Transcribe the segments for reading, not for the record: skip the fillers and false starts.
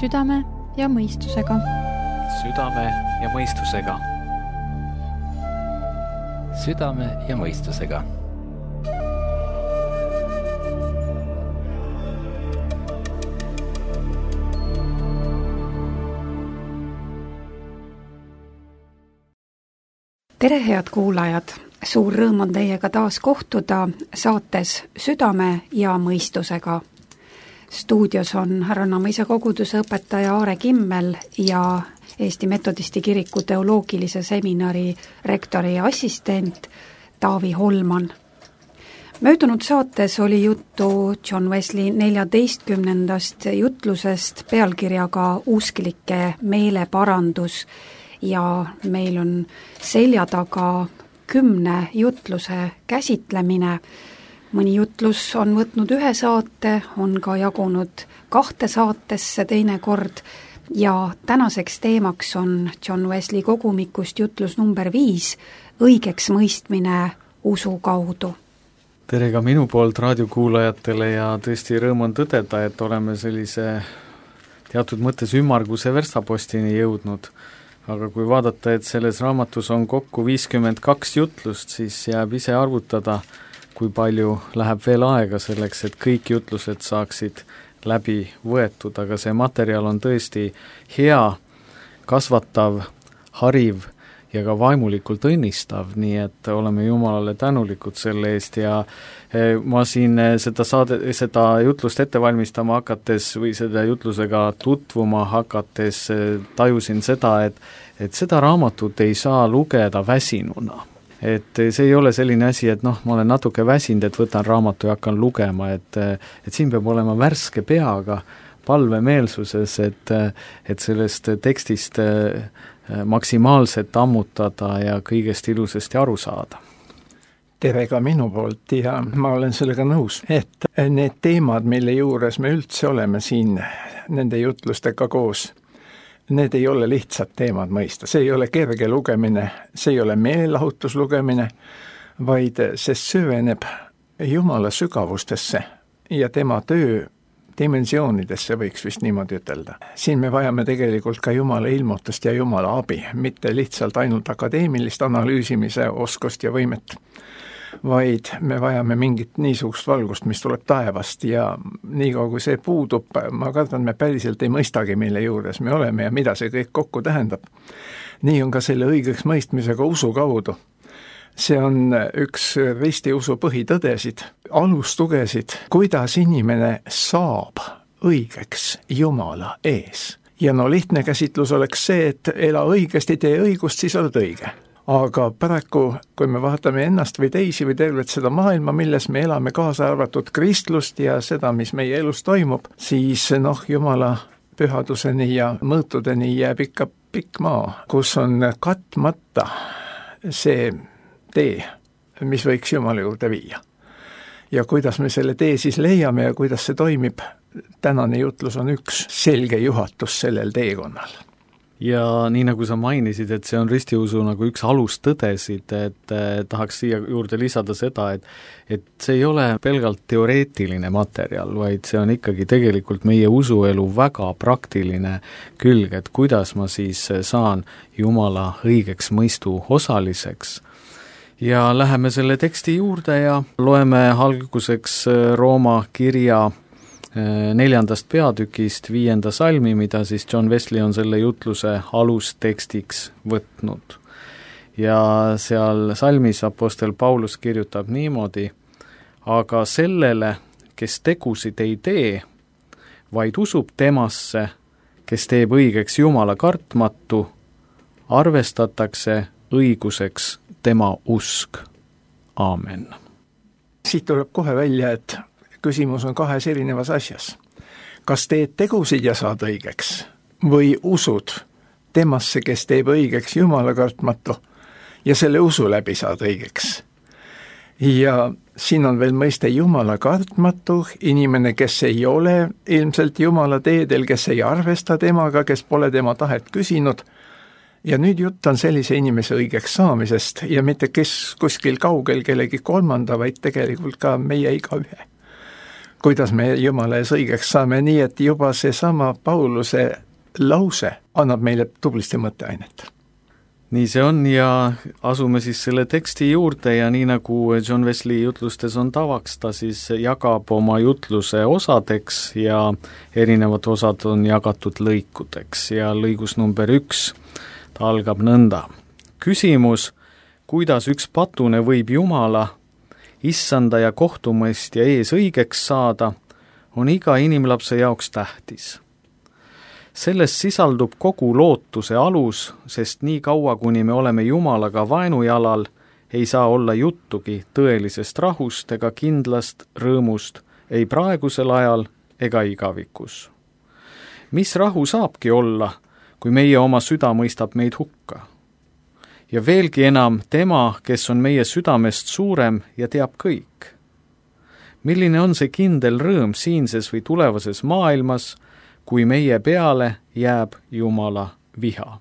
Südame ja mõistusega. Südame ja mõistusega. Südame ja mõistusega. Tere, head kuulajad! Suur rõõm on teiega taas kohtuda saates Südame ja mõistusega. Stuudios on Härranna-Mõisa koguduse õpetaja Aare Kimmel ja Eesti Metodisti kiriku teoloogilise seminari rektori assistent Taavi Holman. Möödunud saates oli juttu John Wesley 14. jutlusest pealkirjaga Usklike meeleparandus ja meil on selja taga 10 jutluse käsitlemine. Mõni jutlus on võtnud 1 saate, on ka jagunud 2 saatesse teinekord ja tänaseks teemaks on John Wesley kogumikust jutlus number 5, õigeks mõistmine usu kaudu. Tere ka minu poolt raadiokuulajatele ja tõesti rõõm on tõdeda, et oleme sellise teatud mõttes ümmarguse verstapostini jõudnud. Aga kui vaadata, et selles raamatus on kokku 52 jutlust, siis jääb ise arvutada, kui palju läheb veel aega selleks, et kõik jutlused saaksid läbi võetud, aga see materjal on tõesti hea, kasvatav, hariv ja ka vaimulikult õnnistav, nii et oleme Jumalale tänulikud selle eest ja ma siin seda jutlust ette valmistama hakates või seda jutlusega tutvuma hakates tajusin seda, et seda raamatut ei saa lugeda väsinuna. Et see ei ole selline asi, et ma olen natuke väsinud, et võtan raamatu ja hakkan lugema, et siin peab olema värske peaga, palvemeelsuses, et sellest tekstist maksimaalselt ammutada ja kõigest ilusasti aru saada. Tere ka minu poolt ja ma olen sellega nõus, et need teemad, mille juures me üldse oleme siin nende jutlustega koos, need ei ole lihtsad teemad mõista, see ei ole kerge lugemine, see ei ole meelelahutuslugemine, vaid see süveneb Jumala sügavustesse ja tema töö dimensioonidesse, võiks vist niimoodi ütelda. Siin me vajame tegelikult ka Jumala ilmutust ja Jumala abi, mitte lihtsalt ainult akadeemilist analüüsimise oskust ja võimet, vaid me vajame mingit niisugust valgust, mis tuleb taevast ja niikaua kui see puudub, ma kardan, me päriselt ei mõistagi, mille juures me oleme ja mida see kõik kokku tähendab. Nii on ka selle õigeks mõistmisega usu kaudu. See on üks ristiusu põhitõdesid, alustugesid, kuidas inimene saab õigeks Jumala ees. Ja lihtne käsitlus oleks see, et ela õigesti, tee õigust, siis oled õige. Aga paraku, kui me vaatame ennast või teisi või tervet seda maailma, milles me elame kaasa arvatud kristlust ja seda, mis meie elus toimub, siis Jumala pühaduseni ja mõõtudeni jääb ikka pikk maa, kus on katmata see tee, mis võiks Jumala juurde viia. Ja kuidas me selle tee siis leiame ja kuidas see toimib, tänane jutlus on üks selge juhatus sellel teekonnal. Ja nii nagu sa mainisid, et see on ristiusu nagu üks alustõdesid, et tahaks siia juurde lisada seda, et see ei ole pelgalt teoreetiline materjal, vaid see on ikkagi tegelikult meie usuelu väga praktiline külg, et kuidas ma siis saan Jumala õigeks mõistu osaliseks. Ja läheme selle teksti juurde ja loeme alguseks Rooma kirja 4. peatükist 5. salmi, mida siis John Wesley on selle jutluse alustekstiks võtnud. Ja seal salmis apostel Paulus kirjutab niimoodi, aga sellele, kes tegusid ei tee, vaid usub temasse, kes teeb õigeks Jumala kartmatu, arvestatakse õiguseks tema usk. Aamen. Siit tuleb kohe välja, et küsimus on 2 erinevas asjas. Kas teed tegusid ja saad õigeks või usud temasse, kes teeb õigeks Jumala kartmatu ja selle usu läbi saad õigeks? Ja siin on veel mõiste Jumala kartmatu, inimene, kes ei ole ilmselt Jumala teedel, kes ei arvesta temaga, kes pole tema tahet küsinud. Ja nüüd jutt on sellise inimese õigeks saamisest ja mitte kes kuskil kaugel kellegi kolmanda, vaid tegelikult ka meie igaühe. kuidas me Jumala ees õigeks saame, nii et juba seesama Pauluse lause annab meile tublisti mõtteainet. nii see on ja asume siis selle teksti juurde ja nii nagu John Wesley jutlustes on tavaks, ta siis jagab oma jutluse osadeks ja erinevad osad on jagatud lõikudeks ja lõigus number 1, ta algab nõnda. Küsimus, kuidas üks patune võib Jumala, issanda ja kohtumõistja ees õigeks saada, on iga inimlapse jaoks tähtis. Sellest sisaldub kogu lootuse alus, sest nii kaua, kuni me oleme Jumalaga vaenujalal, ei saa olla juttugi tõelisest rahust ega kindlast rõõmust ei praegusel ajal ega igavikus. Mis rahu saabki olla, kui meie oma süda mõistab meid hukka? Ja veelgi enam tema, kes on meie südamest suurem ja teab kõik. Milline on see kindel rõõm siinses või tulevases maailmas, kui meie peale jääb Jumala viha?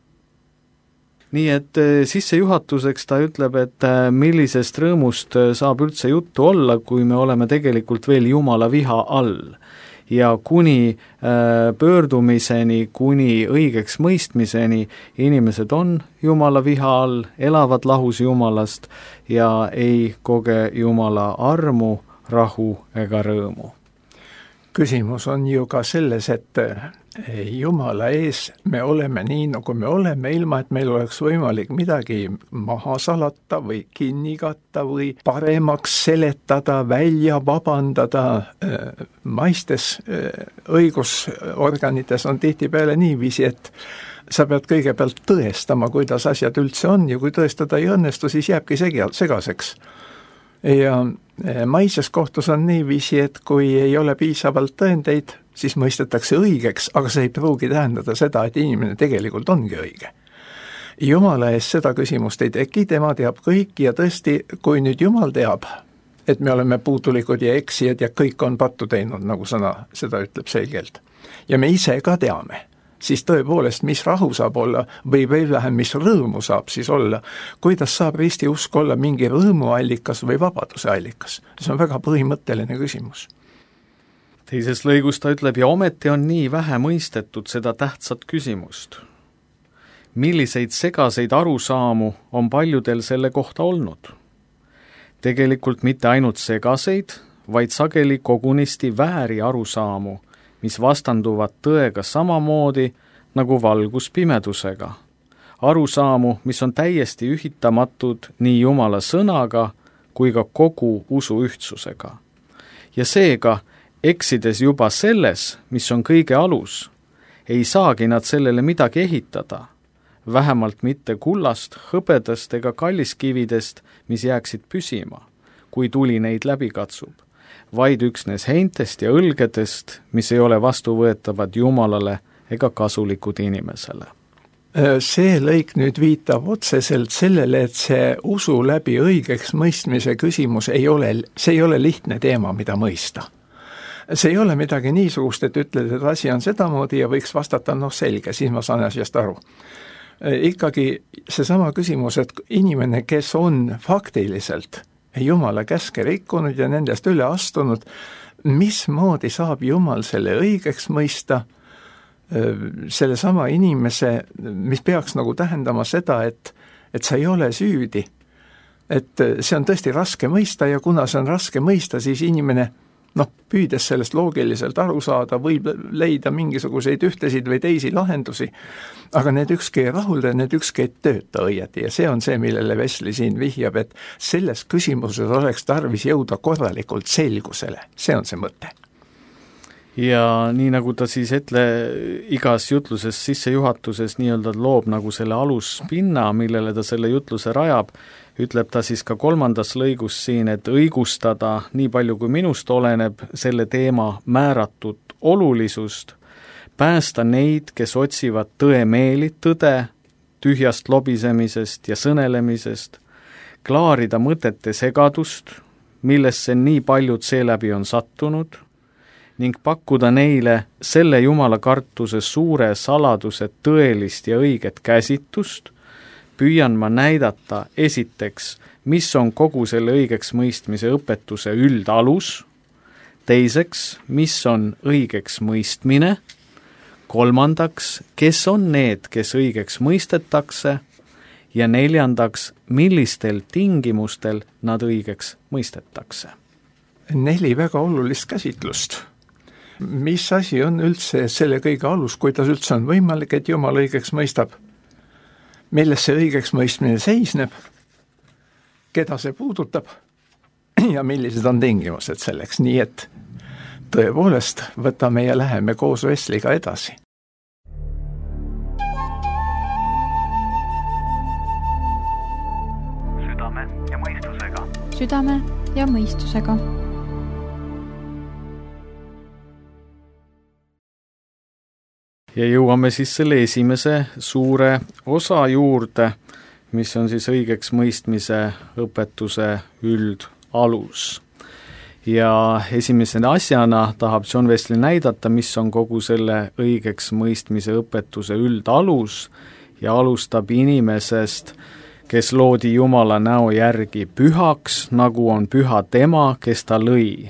Nii et sissejuhatuseks ta ütleb, et millisest rõõmust saab üldse juttu olla, kui me oleme tegelikult veel Jumala viha all. Ja kuni pöördumiseni, kuni õigeks mõistmiseni inimesed on Jumala viha all, elavad lahus Jumalast ja ei koge Jumala armu, rahu ega rõõmu. Küsimus on ju ka selles, et Jumala ees me oleme nii, nagu me oleme, ilma et meil oleks võimalik midagi maha salata või kinni katta või paremaks seletada, välja vabandada. Maistes õigusorganites on tihtipeale niiviisi, et sa pead kõigepealt tõestama, kuidas asjad üldse on ja kui tõestada ei õnnestu, siis jääbki segaseks. Ja maises kohtus on niiviisi, et kui ei ole piisavalt tõendeid, siis mõistetakse õigeks, aga see ei pruugi tähendada seda, et inimene tegelikult ongi õige. Jumala ees seda küsimust ei teki, tema teab kõik ja tõesti, kui nüüd Jumal teab, et me oleme puudulikud ja eksijad ja kõik on pattu teinud, nagu sõna seda ütleb selgelt, ja me ise ka teame, siis tõepoolest, mis rahu saab olla või veel vähem, mis rõõmu saab siis olla, kuidas saab risti usk olla mingi rõõmuallikas või vabaduse allikas. See on väga põhimõtteline küsimus. Teises lõigus ta ütleb, ja ometi on nii vähe mõistetud seda tähtsat küsimust. Milliseid segaseid arusaamu on paljudel selle kohta olnud? Tegelikult mitte ainult segaseid, vaid sageli kogunisti vääri arusaamu, mis vastanduvad tõega samamoodi nagu valgus pimedusega. Arusaamu, mis on täiesti ühitamatud nii Jumala sõnaga kui ka kogu usu ühtsusega. Ja seega, eksides juba selles, mis on kõige alus, ei saagi nad sellele midagi ehitada, vähemalt mitte kullast, hõbedast ega kalliskividest, mis jääksid püsima, kui tuli neid läbi katsub, vaid üksnes heintest ja õlgedest, mis ei ole vastuvõetavad Jumalale ega kasulikud inimesele. See lõik nüüd viitab otseselt sellele, et see usu läbi õigeks mõistmise küsimus ei ole lihtne teema, mida mõista. See ei ole midagi niisugust, et ütled, et asi on sedamoodi ja võiks vastata, selge, siis ma saan asjast aru. Ikkagi seesama küsimus, et inimene, kes on faktiliselt Jumala käske rikkunud ja nendest üle astunud, mismoodi saab Jumal selle õigeks mõista, selle sama inimese, mis peaks nagu tähendama seda, et sa ei ole süüdi. Et see on tõesti raske mõista ja kuna see on raske mõista, siis inimene, püüdes sellest loogiliselt aru saada, võib leida mingisuguseid ühtesid või teisi lahendusi, aga need ükski ei rahulda, need ükski ei tööta õieti ja see on see, millele Wesley siin vihjab, et selles küsimuses oleks tarvis jõuda korralikult selgusele, see on see mõte. Ja nii nagu ta siis igas jutluses sissejuhatuses nii-öelda loob nagu selle aluspinna, millele ta selle jutluse rajab, ütleb ta siis ka 3. lõigus siin, et õigustada nii palju kui minust oleneb selle teema määratud olulisust, päästa neid, kes otsivad tõemeeli tõde, tühjast lobisemisest ja sõnelemisest, klaarida mõtete segadust, millesse nii paljud seeläbi on sattunud, ning pakkuda neile selle Jumala kartuse suure saladuse tõelist ja õiget käsitust, püüan ma näidata esiteks, mis on kogu selle õigeks mõistmise õpetuse üldalus, teiseks, mis on õigeks mõistmine, kolmandaks, kes on need, kes õigeks mõistetakse, ja neljandaks, millistel tingimustel nad õigeks mõistetakse. 4 väga olulist käsitlust. Mis asi on üldse selle kõige alus, kuidas üldse on võimalik, et Jumal õigeks mõistab? Milles see õigeks mõistmine seisneb? Keda see puudutab? Ja millised on tingimused selleks? Nii et tõepoolest võtame ja läheme koos Vesliga edasi. Südame ja mõistusega. Ja jõuame siis selle esimese suure osa juurde, mis on siis õigeks mõistmise õpetuse üldalus. Ja esimese asjana tahab John Wesley näidata, mis on kogu selle õigeks mõistmise õpetuse üldalus ja alustab inimesest, kes loodi Jumala näo järgi, pühaks, nagu on püha tema, kes ta lõi,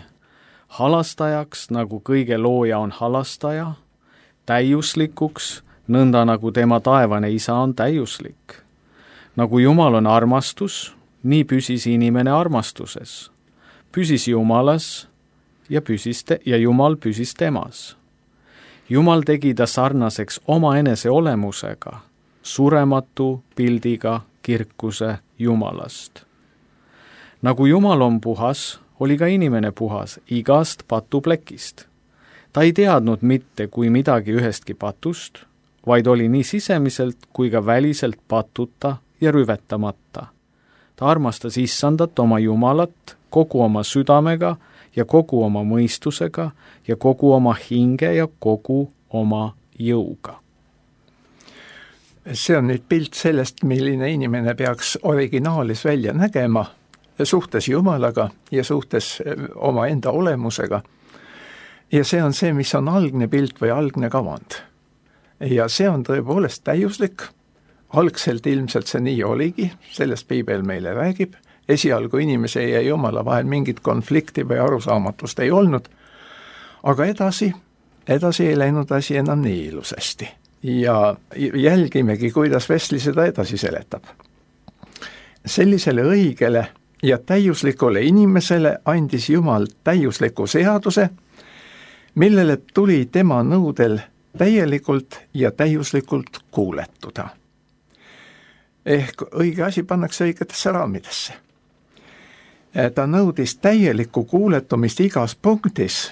halastajaks, nagu kõige looja on halastaja, täiuslikuks, nõnda nagu tema taevane isa on täiuslik. Nagu Jumal on armastus, nii püsis inimene armastuses, püsis Jumalas ja Jumal püsis temas. Jumal tegi ta sarnaseks oma enese olemusega, surematu pildiga kirkuse Jumalast. Nagu Jumal on puhas, oli ka inimene puhas igast patuplekist. Ta ei teadnud mitte kui midagi ühestki patust, vaid oli nii sisemiselt kui ka väliselt patuta ja rüvetamata. Ta armastas Issandat oma Jumalat kogu oma südamega ja kogu oma mõistusega ja kogu oma hinge ja kogu oma jõuga. See on nüüd pilt sellest, milline inimene peaks originaalis välja nägema suhtes Jumalaga ja suhtes oma enda olemusega. Ja see on see, mis on algne pilt või algne kavand. Ja see on tõepoolest täiuslik. Algselt ilmselt see nii oligi, sellest Piibel meile räägib. Esialgu inimese ja Jumala vahel mingit konflikti või arusaamatust ei olnud. Aga edasi ei läinud asi enam nii ilusasti. Ja jälgimegi, kuidas Wesley seda edasi seletab. Sellisele õigele ja täiuslikule inimesele andis Jumal täiusliku seaduse, millele tuli tema nõudel täielikult ja täiuslikult kuuletuda. Ehk õige asi pannakse õigetesse raamidesse. Ta nõudis täielikku kuuletumist igas punktis,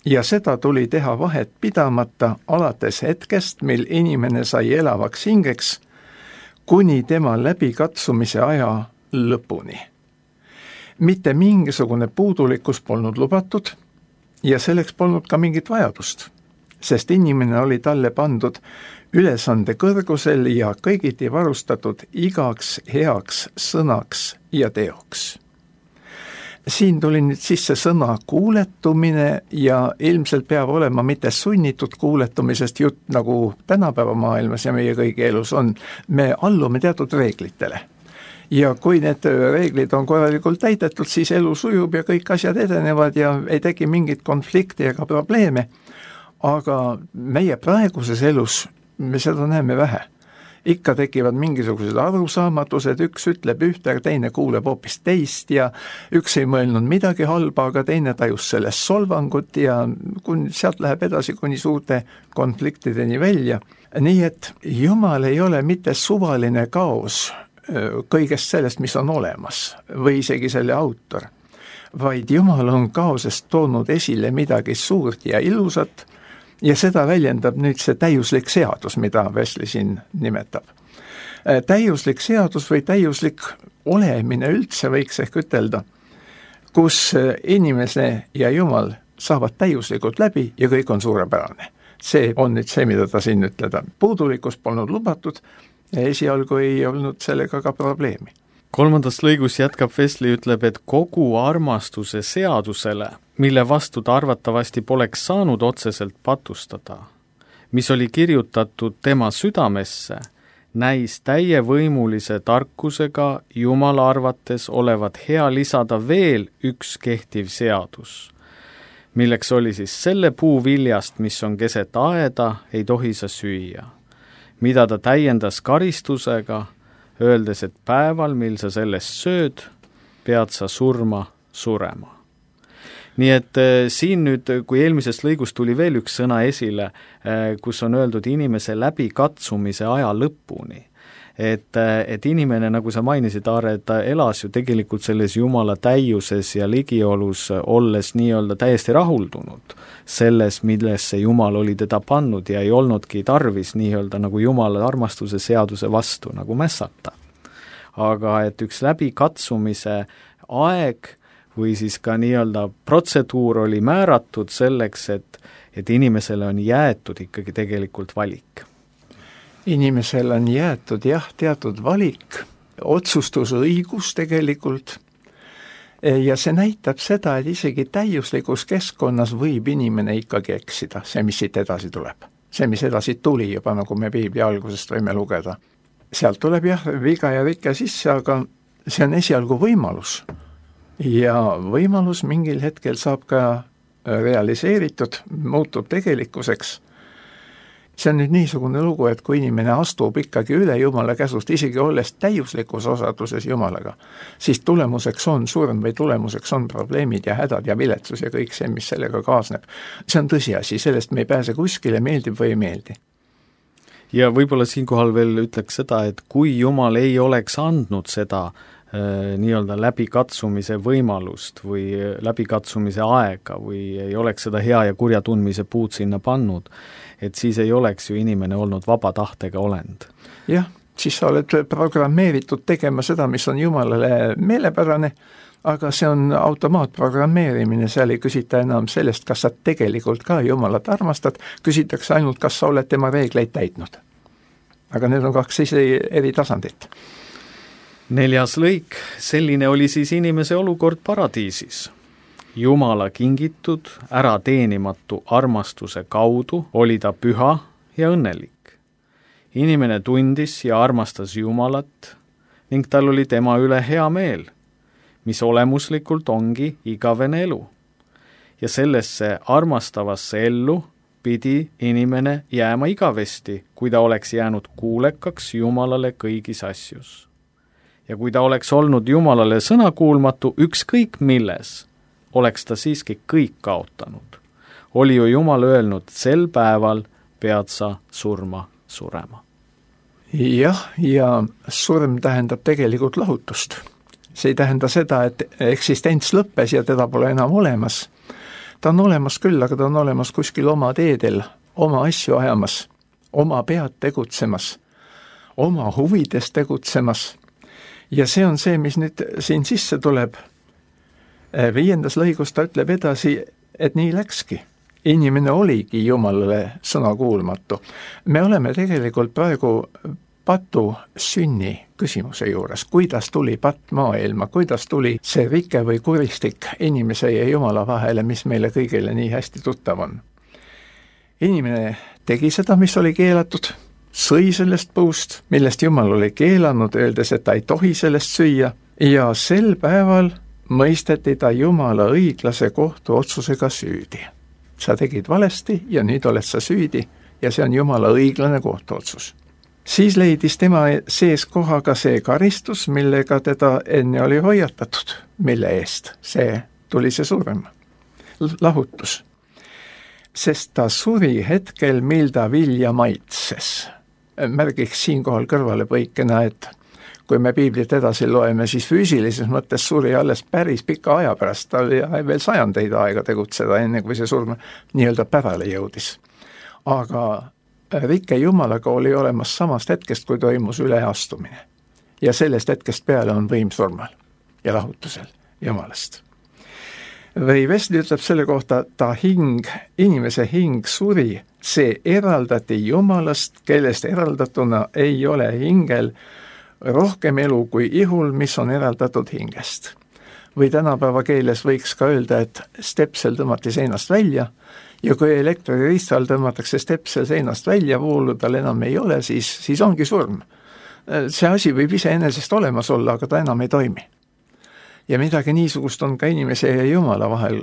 ja seda tuli teha vahet pidamata alates hetkest, mil inimene sai elavaks hingeks, kuni tema läbikatsumise aja lõpuni. Mitte mingisugune puudulikkus polnud lubatud ja selleks polnud ka mingit vajadust, sest inimene oli talle pandud ülesande kõrgusel ja kõigiti varustatud igaks heaks sõnaks ja teoks. Siin tuli nüüd sisse sõna kuuletumine ja ilmselt peab olema mitte sunnitud kuuletumisest jutt, nagu tänapäeva maailmas ja meie kõigi elus on. Me allume teatud reeglitele. Ja kui need reeglid on korralikult täidetud, siis elu sujub ja kõik asjad edenevad ja ei teki mingit konflikti ega probleeme. Aga meie praeguses elus me seda näeme vähe. Ikka tekivad mingisugused arusaamatused, üks ütleb ühte, aga teine kuuleb hoopis teist ja üks ei mõelnud midagi halba, aga teine tajus sellest solvangut ja sealt läheb edasi kuni suurte konfliktideni välja. Nii et Jumal ei ole mitte suvaline kaos kõigest sellest, mis on olemas või isegi selle autor, vaid Jumal on kaosest toonud esile midagi suurt ja ilusat, ja seda väljendab nüüd see täiuslik seadus, mida Wesley siin nimetab. Täiuslik seadus või täiuslik olemine üldse võiks ehk ütelda, kus inimese ja Jumal saavad täiuslikult läbi ja kõik on suurepärane. See on nüüd see, mida ta siin ütleda. Puudulikkus polnud lubatud ja esialgu ei olnud sellega ka probleemi. 3. lõigus jätkab Wesley, ütleb, et kogu armastuse seadusele, mille vastu ta arvatavasti poleks saanud otseselt patustada, mis oli kirjutatud tema südamesse, näis täievõimulise tarkusega Jumala arvates olevat hea lisada veel üks kehtiv seadus, milleks oli siis selle puu viljast, mis on keset aeda, ei tohi sa süüa. Mida ta täiendas karistusega, öeldes, et päeval, mil sa sellest sööd, pead sa surema. Nii et siin nüüd, kui eelmisest lõigust tuli veel üks sõna esile, kus on öeldud inimese läbikatsumise aja lõpuni, et inimene, nagu sa mainisid, Aare, et ta elas ju tegelikult selles Jumala täiuses ja ligiolus, olles nii-öelda täiesti rahuldunud selles, millesse Jumal oli teda pannud ja ei olnudki tarvis nii-öelda nagu Jumala armastuse seaduse vastu nagu mässata. Aga et üks läbikatsumise aeg või siis ka nii-öelda protseduur oli määratud selleks, et inimesele on jäetud ikkagi tegelikult valik. Inimesel on jäetud teatud valik, otsustusõigus tegelikult, ja see näitab seda, et isegi täiuslikus keskkonnas võib inimene ikkagi eksida, see, mis siit edasi tuleb. See, mis edasi tuli juba, nagu me Piibli algusest võime lugeda. Sealt tuleb viga ja rike sisse, aga see on esialgu võimalus. Ja võimalus mingil hetkel saab ka realiseeritud, muutub tegelikkuseks. See on nüüd niisugune lugu, et kui inimene astub ikkagi üle Jumala käsust, isegi olles täiuslikus osaduses Jumalaga, siis tulemuseks on surm või tulemuseks on probleemid ja hädad ja viletsus ja kõik see, mis sellega kaasneb. See on tõsiasi, sellest me ei pääse kuskile, meeldib või ei meeldi. Ja võib-olla siinkohal veel ütleks seda, et kui Jumal ei oleks andnud seda nii-öelda läbikatsumise võimalust või läbikatsumise aega või ei oleks seda hea ja kurja tundmise puud sinna pannud, et siis ei oleks ju inimene olnud vaba tahtega olend. Jah, siis sa oled programmeeritud tegema seda, mis on Jumalale meelepärane, aga see on automaatprogrammeerimine, seal ei küsita enam sellest, kas sa tegelikult ka Jumalat armastad, küsitakse ainult, kas sa oled tema reegleid täitnud. Aga need on kaks eri tasandit. 4. lõik, selline oli siis inimese olukord paradiisis. Jumala kingitud, ära teenimatu armastuse kaudu oli ta püha ja õnnelik. Inimene tundis ja armastas Jumalat ning tal oli tema üle hea meel, mis olemuslikult ongi igavene elu. Ja sellesse armastavasse ellu pidi inimene jääma igavesti, kui ta oleks jäänud kuulekaks Jumalale kõigis asjus. Ja kui ta oleks olnud Jumalale sõnakuulmatu ükskõik milles, oleks ta siiski kõik kaotanud. Oli ju Jumal öelnud, sel päeval pead sa surema. Jah, ja surm tähendab tegelikult lahutust. See ei tähenda seda, et eksistents lõppes ja teda pole enam olemas. Ta on olemas küll, aga ta on olemas kuskil oma teedel, oma asju ajamas, oma pead tegutsemas, oma huvides tegutsemas. Ja see on see, mis nüüd siin sisse tuleb. 5. lõigus ta ütleb edasi, et nii läkski. Inimene oligi Jumalale sõnakuulmatu. Me oleme tegelikult praegu patu sünni küsimuse juures. Kuidas tuli patt maailma, kuidas tuli see rike või kuristik inimese ja Jumala vahele, mis meile kõigile nii hästi tuttav on. Inimene tegi seda, mis oli keelatud, sõi sellest puust, millest Jumal oli keelanud, öeldes, et ta ei tohi sellest süüa, ja sel päeval mõisteti ta Jumala õiglase kohtuotsusega süüdi. Sa tegid valesti ja nüüd oled sa süüdi ja see on Jumala õiglane kohtuotsus. Siis leidis tema sees kohaga see karistus, millega teda enne oli hoiatatud, mille eest see tuli see surm, lahutus. Sest ta suri hetkel, mil ta vilja maitses. Märgiks siinkohal kõrvalepõikena, et kui me Piiblit edasi loeme, siis füüsilises mõttes suri alles päris pika aja pärast, ta oli veel sajandeid aega tegutseda, enne kui see surm nii-öelda pärale jõudis. Aga rike Jumalaga oli olemas samast hetkest, kui toimus üleastumine. Ja sellest hetkest peale on võim surmal ja lahutusel Jumalast. Või Wesley ütleb selle kohta, ta hing, inimese hing suri, see eraldati Jumalast, kellest eraldatuna ei ole hingel rohkem elu kui ihul, mis on eraldatud hingest. Või tänapäeva keeles võiks ka öelda, et stepsel tõmmati seinast välja ja kui elektririistal tõmmatakse stepsel seinast välja, voolu tal enam ei ole, siis ongi surm. See asi võib iseenesest olemas olla, aga ta enam ei toimi. Ja midagi niisugust on ka inimese ja Jumala vahel.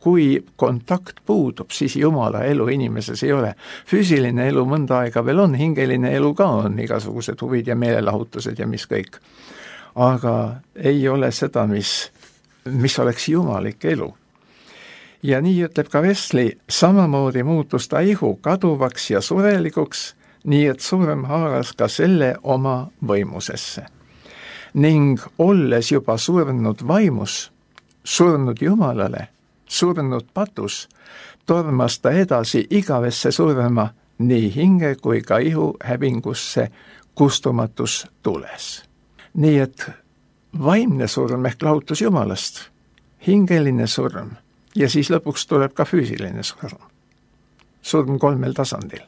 Kui kontakt puudub, siis Jumala elu inimeses ei ole. Füüsiline elu mõnda aega veel on, hingeline elu ka on, igasugused huvid ja meelelahutused ja mis kõik. Aga ei ole seda, mis oleks jumalik elu. Ja nii ütleb ka Wesley, samamoodi muutus ta ihu kaduvaks ja surelikuks, nii et surm haaras ka selle oma võimusesse. Ning olles juba surnud vaimus, surnud Jumalale, surnud patus, tormas ta edasi igavesse surma nii hinge kui ka ihu hävingusse kustumatus tules. Nii et vaimne surm ehk lahutus Jumalast, hingeline surm ja siis lõpuks tuleb ka füüsiline surm. Surm 3 tasandil.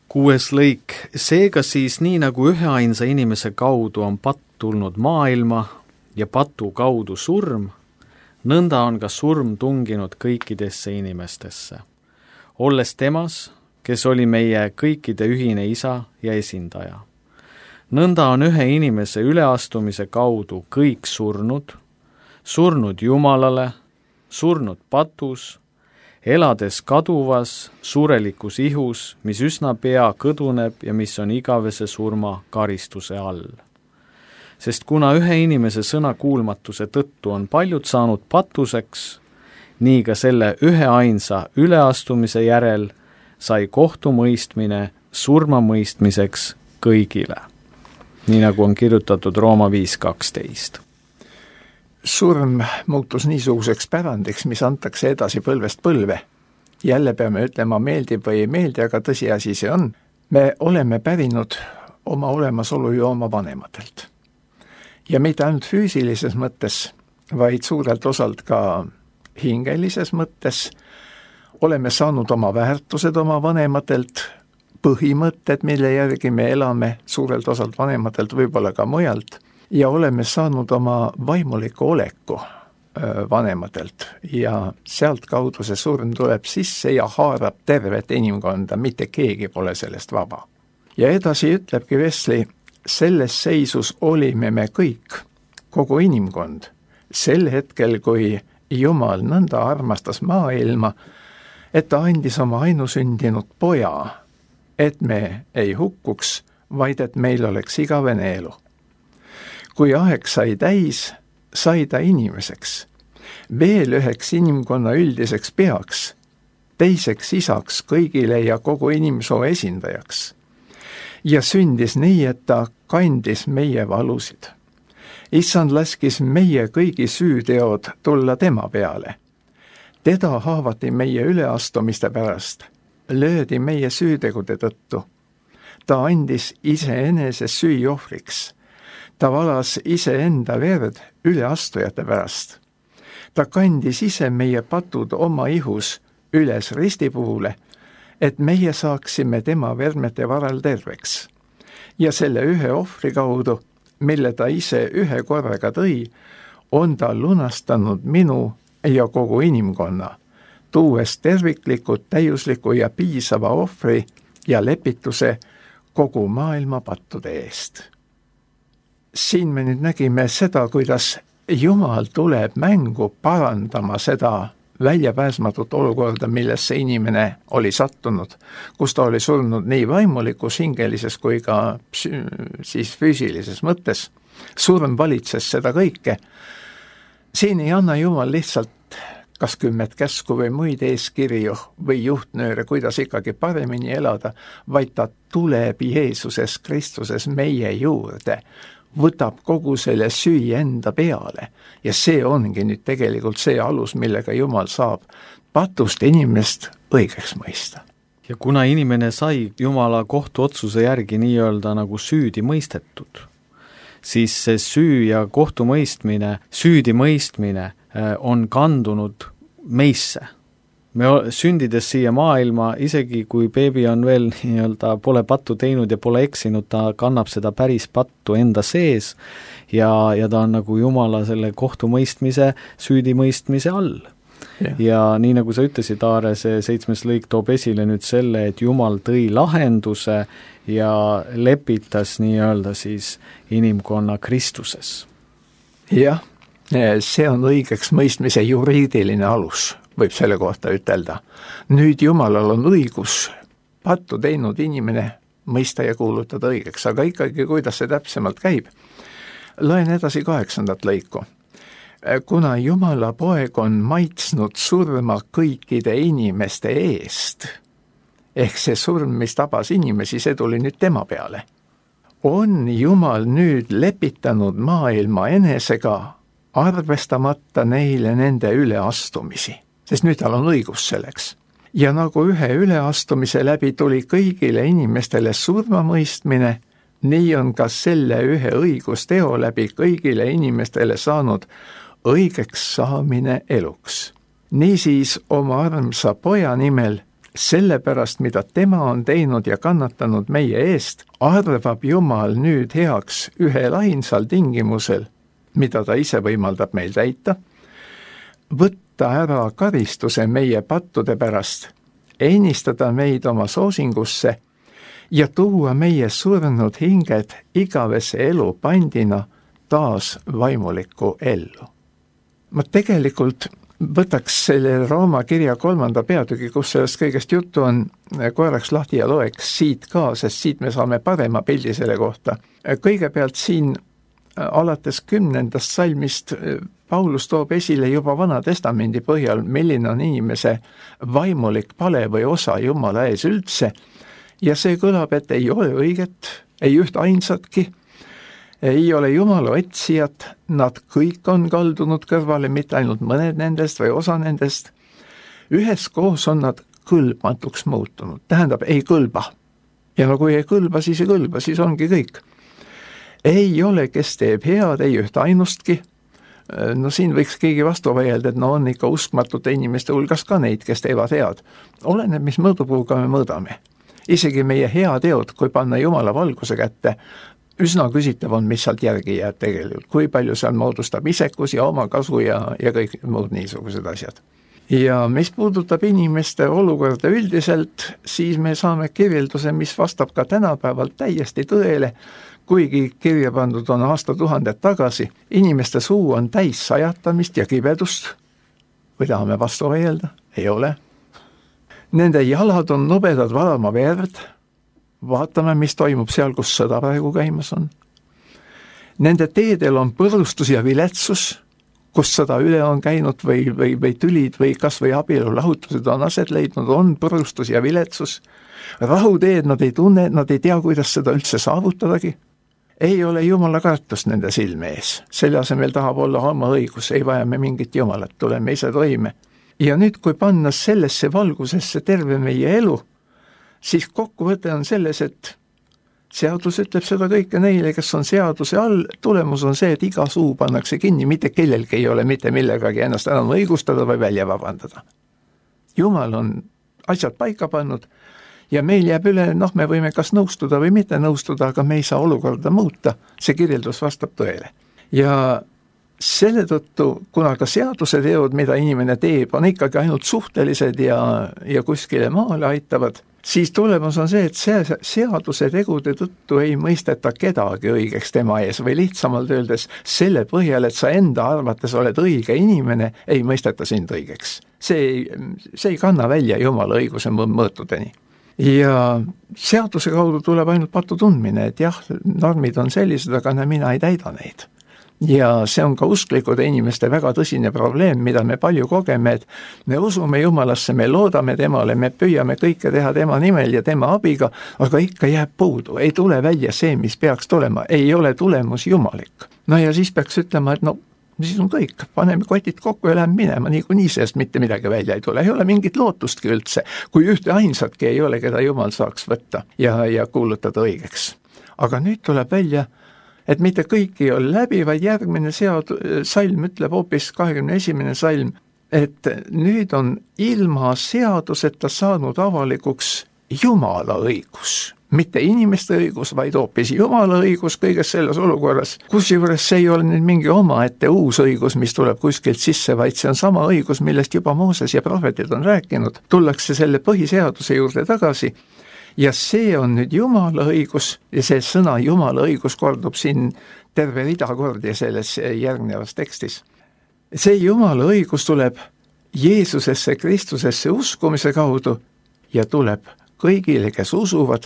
6. lõik. Seega siis nii nagu üheainsa inimese kaudu on patt tulnud maailma ja patu kaudu surm, nõnda on ka surm tunginud kõikidesse inimestesse. Olles temas, kes oli meie kõikide ühine isa ja esindaja. Nõnda on ühe inimese üleastumise kaudu kõik surnud Jumalale, surnud patus, elades kaduvas, surelikus ihus, mis üsna pea kõduneb ja mis on igavese surma karistuse all. Sest kuna ühe inimese sõnakuulmatuse tõttu on paljud saanud patuseks, nii ka selle üheainsa üleastumise järel sai kohtumõistmine surmamõistmiseks kõigile. Nii nagu on kirjutatud Rooma 5.12. Surm muutus niisuguseks pärandiks, mis antakse edasi põlvest põlve. Jälle peame ütlema, meeldib või ei meeldi, aga tõsiasi see on. Me oleme pärinud oma olemasolu ju oma vanematelt. Ja mitte ainult füüsilises mõttes, vaid suurelt osalt ka hingelises mõttes. Oleme saanud oma väärtused oma vanematelt, põhimõtted, mille järgi me elame suurelt osalt vanematelt, võib-olla ka mujalt. Ja oleme saanud oma vaimuliku oleku vanematelt ja sealt kaudu see surm tuleb sisse ja haarab tervet inimkonda, mitte keegi pole sellest vaba. Ja edasi ütlebki Wesley, selles seisus olime me kõik, kogu inimkond, sel hetkel, kui Jumal nõnda armastas maailma, et ta andis oma ainusündinud poja, et me ei hukkuks, vaid et meil oleks igavene elu. Kui aeg sai täis, sai ta inimeseks, veel üheks inimkonna üldiseks peaks, teiseks isaks kõigile ja kogu inimsoo esindajaks. Ja sündis nii, et ta kandis meie valusid. Issand laskis meie kõigi süüteod tulla tema peale. Teda haavati meie üleastumiste pärast, löödi meie süütegude tõttu. Ta andis iseenese süüohvriks. Ta valas iseenda verd üleastujate pärast. Ta kandis ise meie patud oma ihus üles ristipuule, et meie saaksime tema vermete varal terveks. Ja selle ühe ohvri kaudu, mille ta ise ühe korraga tõi, on ta lunastanud minu ja kogu inimkonna, tuues tervikliku, täiusliku ja piisava ohvri ja lepituse kogu maailma pattude eest. Siin me nüüd nägime seda, kuidas Jumal tuleb mängu parandama seda väljapääsmatut olukorda, millesse inimene oli sattunud, kus ta oli surnud nii vaimulikus, hingelises kui ka siis füüsilises mõttes. Surm valitses seda kõike. Siin ei anna Jumal lihtsalt kas 10 käsku või muid eeskirju või juhtnööre, kuidas ikkagi paremini elada, vaid ta tuleb Jeesuses Kristuses meie juurde, võtab kogu selle süü enda peale ja see ongi nüüd tegelikult see alus, millega Jumal saab patust inimest õigeks mõista. Ja kuna inimene sai Jumala kohtuotsuse järgi nii-öelda nagu süüdi mõistetud, siis see süü ja kohtumõistmine, süüdi mõistmine on kandunud meisse. Me sündides siia maailma, isegi kui beebi on veel nii-öelda pole pattu teinud ja pole eksinud, ta kannab seda päris pattu enda sees ja ta on nagu Jumala selle kohtumõistmise, süüdimõistmise all. Ja nii nagu sa ütlesid, Aare, see 7. lõik toob esile nüüd selle, et Jumal tõi lahenduse ja lepitas nii-öelda siis inimkonna Kristuses. jah, see on õigeks mõistmise juriidiline alus, võib selle kohta ütelda. Nüüd Jumalal on õigus pattu teinud inimene mõista ja kuulutada õigeks, aga ikkagi, kuidas see täpsemalt käib? Loen edasi 8. lõiku. Kuna Jumala poeg on maitsnud surma kõikide inimeste eest, ehk see surm, mis tabas inimesi, see tuli nüüd tema peale, on Jumal nüüd lepitanud maailma enesega, arvestamata neile nende üleastumisi, sest nüüd tal on õigus selleks. Ja nagu ühe üleastumise läbi tuli kõigile inimestele surmamõistmine, nii on ka selle ühe õigusteo läbi kõigile inimestele saanud õigeks saamine eluks. Niisiis oma armsa poja nimel, sellepärast, mida tema on teinud ja kannatanud meie eest, arvab Jumal nüüd heaks ühel ainsal tingimusel, mida ta ise võimaldab meil täita, võtta ära karistuse meie pattude pärast, ennistada meid oma soosingusse ja tuua meie surnud hinged igavese elu pandina taas vaimulikku ellu. Ma tegelikult võtaks selle Rooma kirja 3. peatüki, kus sellest kõigest juttu on, korraks lahti ja loeks siit ka, sest siit me saame parema pildi selle kohta. Kõigepealt siin alates 10. salmist Paulus toob esile juba Vana Testamendi põhjal, milline on inimese vaimulik pale või osa Jumala ees üldse, ja see kõlab, et ei ole õiget, ei üht ainsatki, ei ole Jumala otsijat, nad kõik on kaldunud kõrvale, mitte ainult mõned nendest või osa nendest, üheskoos on nad kõlbmatuks muutunud, tähendab, ei kõlba. Ja no kui ei kõlba, siis ongi kõik. Ei ole, kes teeb head, ei üht ainustki. No siin võiks keegi vastu vaielda, et no on ikka uskmatute inimeste hulgas ka neid, kes teevad head. Oleneb, mis mõõdupuuga me mõõdame. Isegi meie heateod, kui panna Jumala valguse kätte, üsna küsitav on, mis sealt järgi jääb tegelikult. Kui palju seal moodustab isekus ja oma kasu ja kõik muud niisugused asjad. Ja mis puudutab inimeste olukorda üldiselt, siis me saame kirjelduse, mis vastab ka tänapäeval täiesti tõele, kuigi kirja pandud on aastatuhanded tagasi. Inimeste suu on täis sajatamist ja kibedust. Või tahame vastu vaielda? Ei ole. Nende jalad on nubedad valama verd. Vaatame, mis toimub seal, kus sõda praegu käimas on. Nende teedel on põrustus ja viletsus, kus sõda üle on käinud või tülid või kas või abielulahutused on aset leidnud, on põrustus ja viletsus. Rahuteed nad ei tunne, nad ei tea, kuidas seda üldse saavutadagi. Ei ole Jumala kartust nende silme ees. Selle asemel tahab olla oma õigus, ei vaja me mingit Jumalat, tuleme ise toime. Ja nüüd, kui panna sellesse valgusesse terve meie elu, siis kokkuvõte on selles, et seadus ütleb seda kõike neile, kes on seaduse all, tulemus on see, et iga suu pannakse kinni, mitte kellelgi ei ole mitte millegagi ennast enam õigustada või välja vabandada. Jumal on asjad paika pannud ja meil jääb üle, me võime kas nõustuda või mitte nõustuda, aga me ei saa olukorda muuta, see kirjeldus vastab tõele. Ja selle tõttu, kuna ka seaduse teod, mida inimene teeb, on ikkagi ainult suhtelised ja kuskile maale aitavad, siis tulemus on see, et seaduse tegude tõttu ei mõisteta kedagi õigeks tema ees või lihtsamalt öeldes selle põhjal, et sa enda arvates oled õige inimene, ei mõisteta sind õigeks. See ei kanna välja Jumala õiguse mõõtudeni. Ja seaduse kaudu tuleb ainult patu tundmine, et jah, normid on sellised, aga mina ei täida neid. Ja see on ka usklikude inimeste väga tõsine probleem, mida me palju kogeme, et me usume Jumalasse, me loodame temale, me püüame kõike teha tema nimel ja tema abiga, aga ikka jääb puudu, ei tule välja see, mis peaks tulema, ei ole tulemus jumalik. No ja siis peaks ütlema, et siis on kõik, paneme kotid kokku ja läheme minema, niikuinii seest mitte midagi välja ei tule, ei ole mingit lootustki üldse, kui ühte ainsatki ei ole, keda Jumal saaks võtta ja kuulutada õigeks. Aga nüüd tuleb välja, et mitte kõik ei ole läbi, vaid järgmine salm ütleb hoopis 21. salm, et nüüd on ilma seaduseta saanud avalikuks Jumala õigus. Mitte inimeste õigus, vaid hoopis Jumala õigus kõiges selles olukorras. Kusjuures see ei ole nüüd mingi omaette uus õigus, mis tuleb kuskilt sisse, vaid see on sama õigus, millest juba Mooses ja prohvetid on rääkinud. Tullakse selle põhiseaduse juurde tagasi ja see on nüüd Jumala õigus ja see sõna Jumala õigus kordub siin terve rida kordi selles järgnevas tekstis. See Jumala õigus tuleb Jeesusesse, Kristusesse uskumise kaudu ja tuleb kõigile, kes usuvad,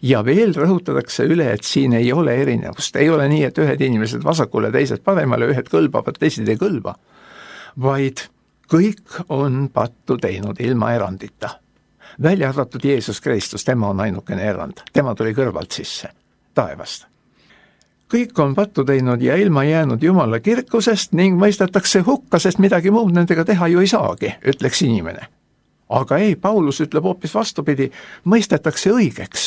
ja veel rõhutatakse üle, et siin ei ole erinevust, ei ole nii, et ühed inimesed vasakule, teised paremale, ühed kõlbavad, teised ei kõlba, vaid kõik on pattu teinud ilma erandita. Välja arvatud Jeesus Kristus, tema on ainukene erand, tema tuli kõrvalt sisse, taevast. Kõik on pattu teinud ja ilma jäänud Jumala kirkusest ning mõistetakse hukka, sest midagi muud nendega teha ju ei saagi, ütleks inimene. Aga ei, Paulus ütleb hoopis vastupidi, mõistetakse õigeks.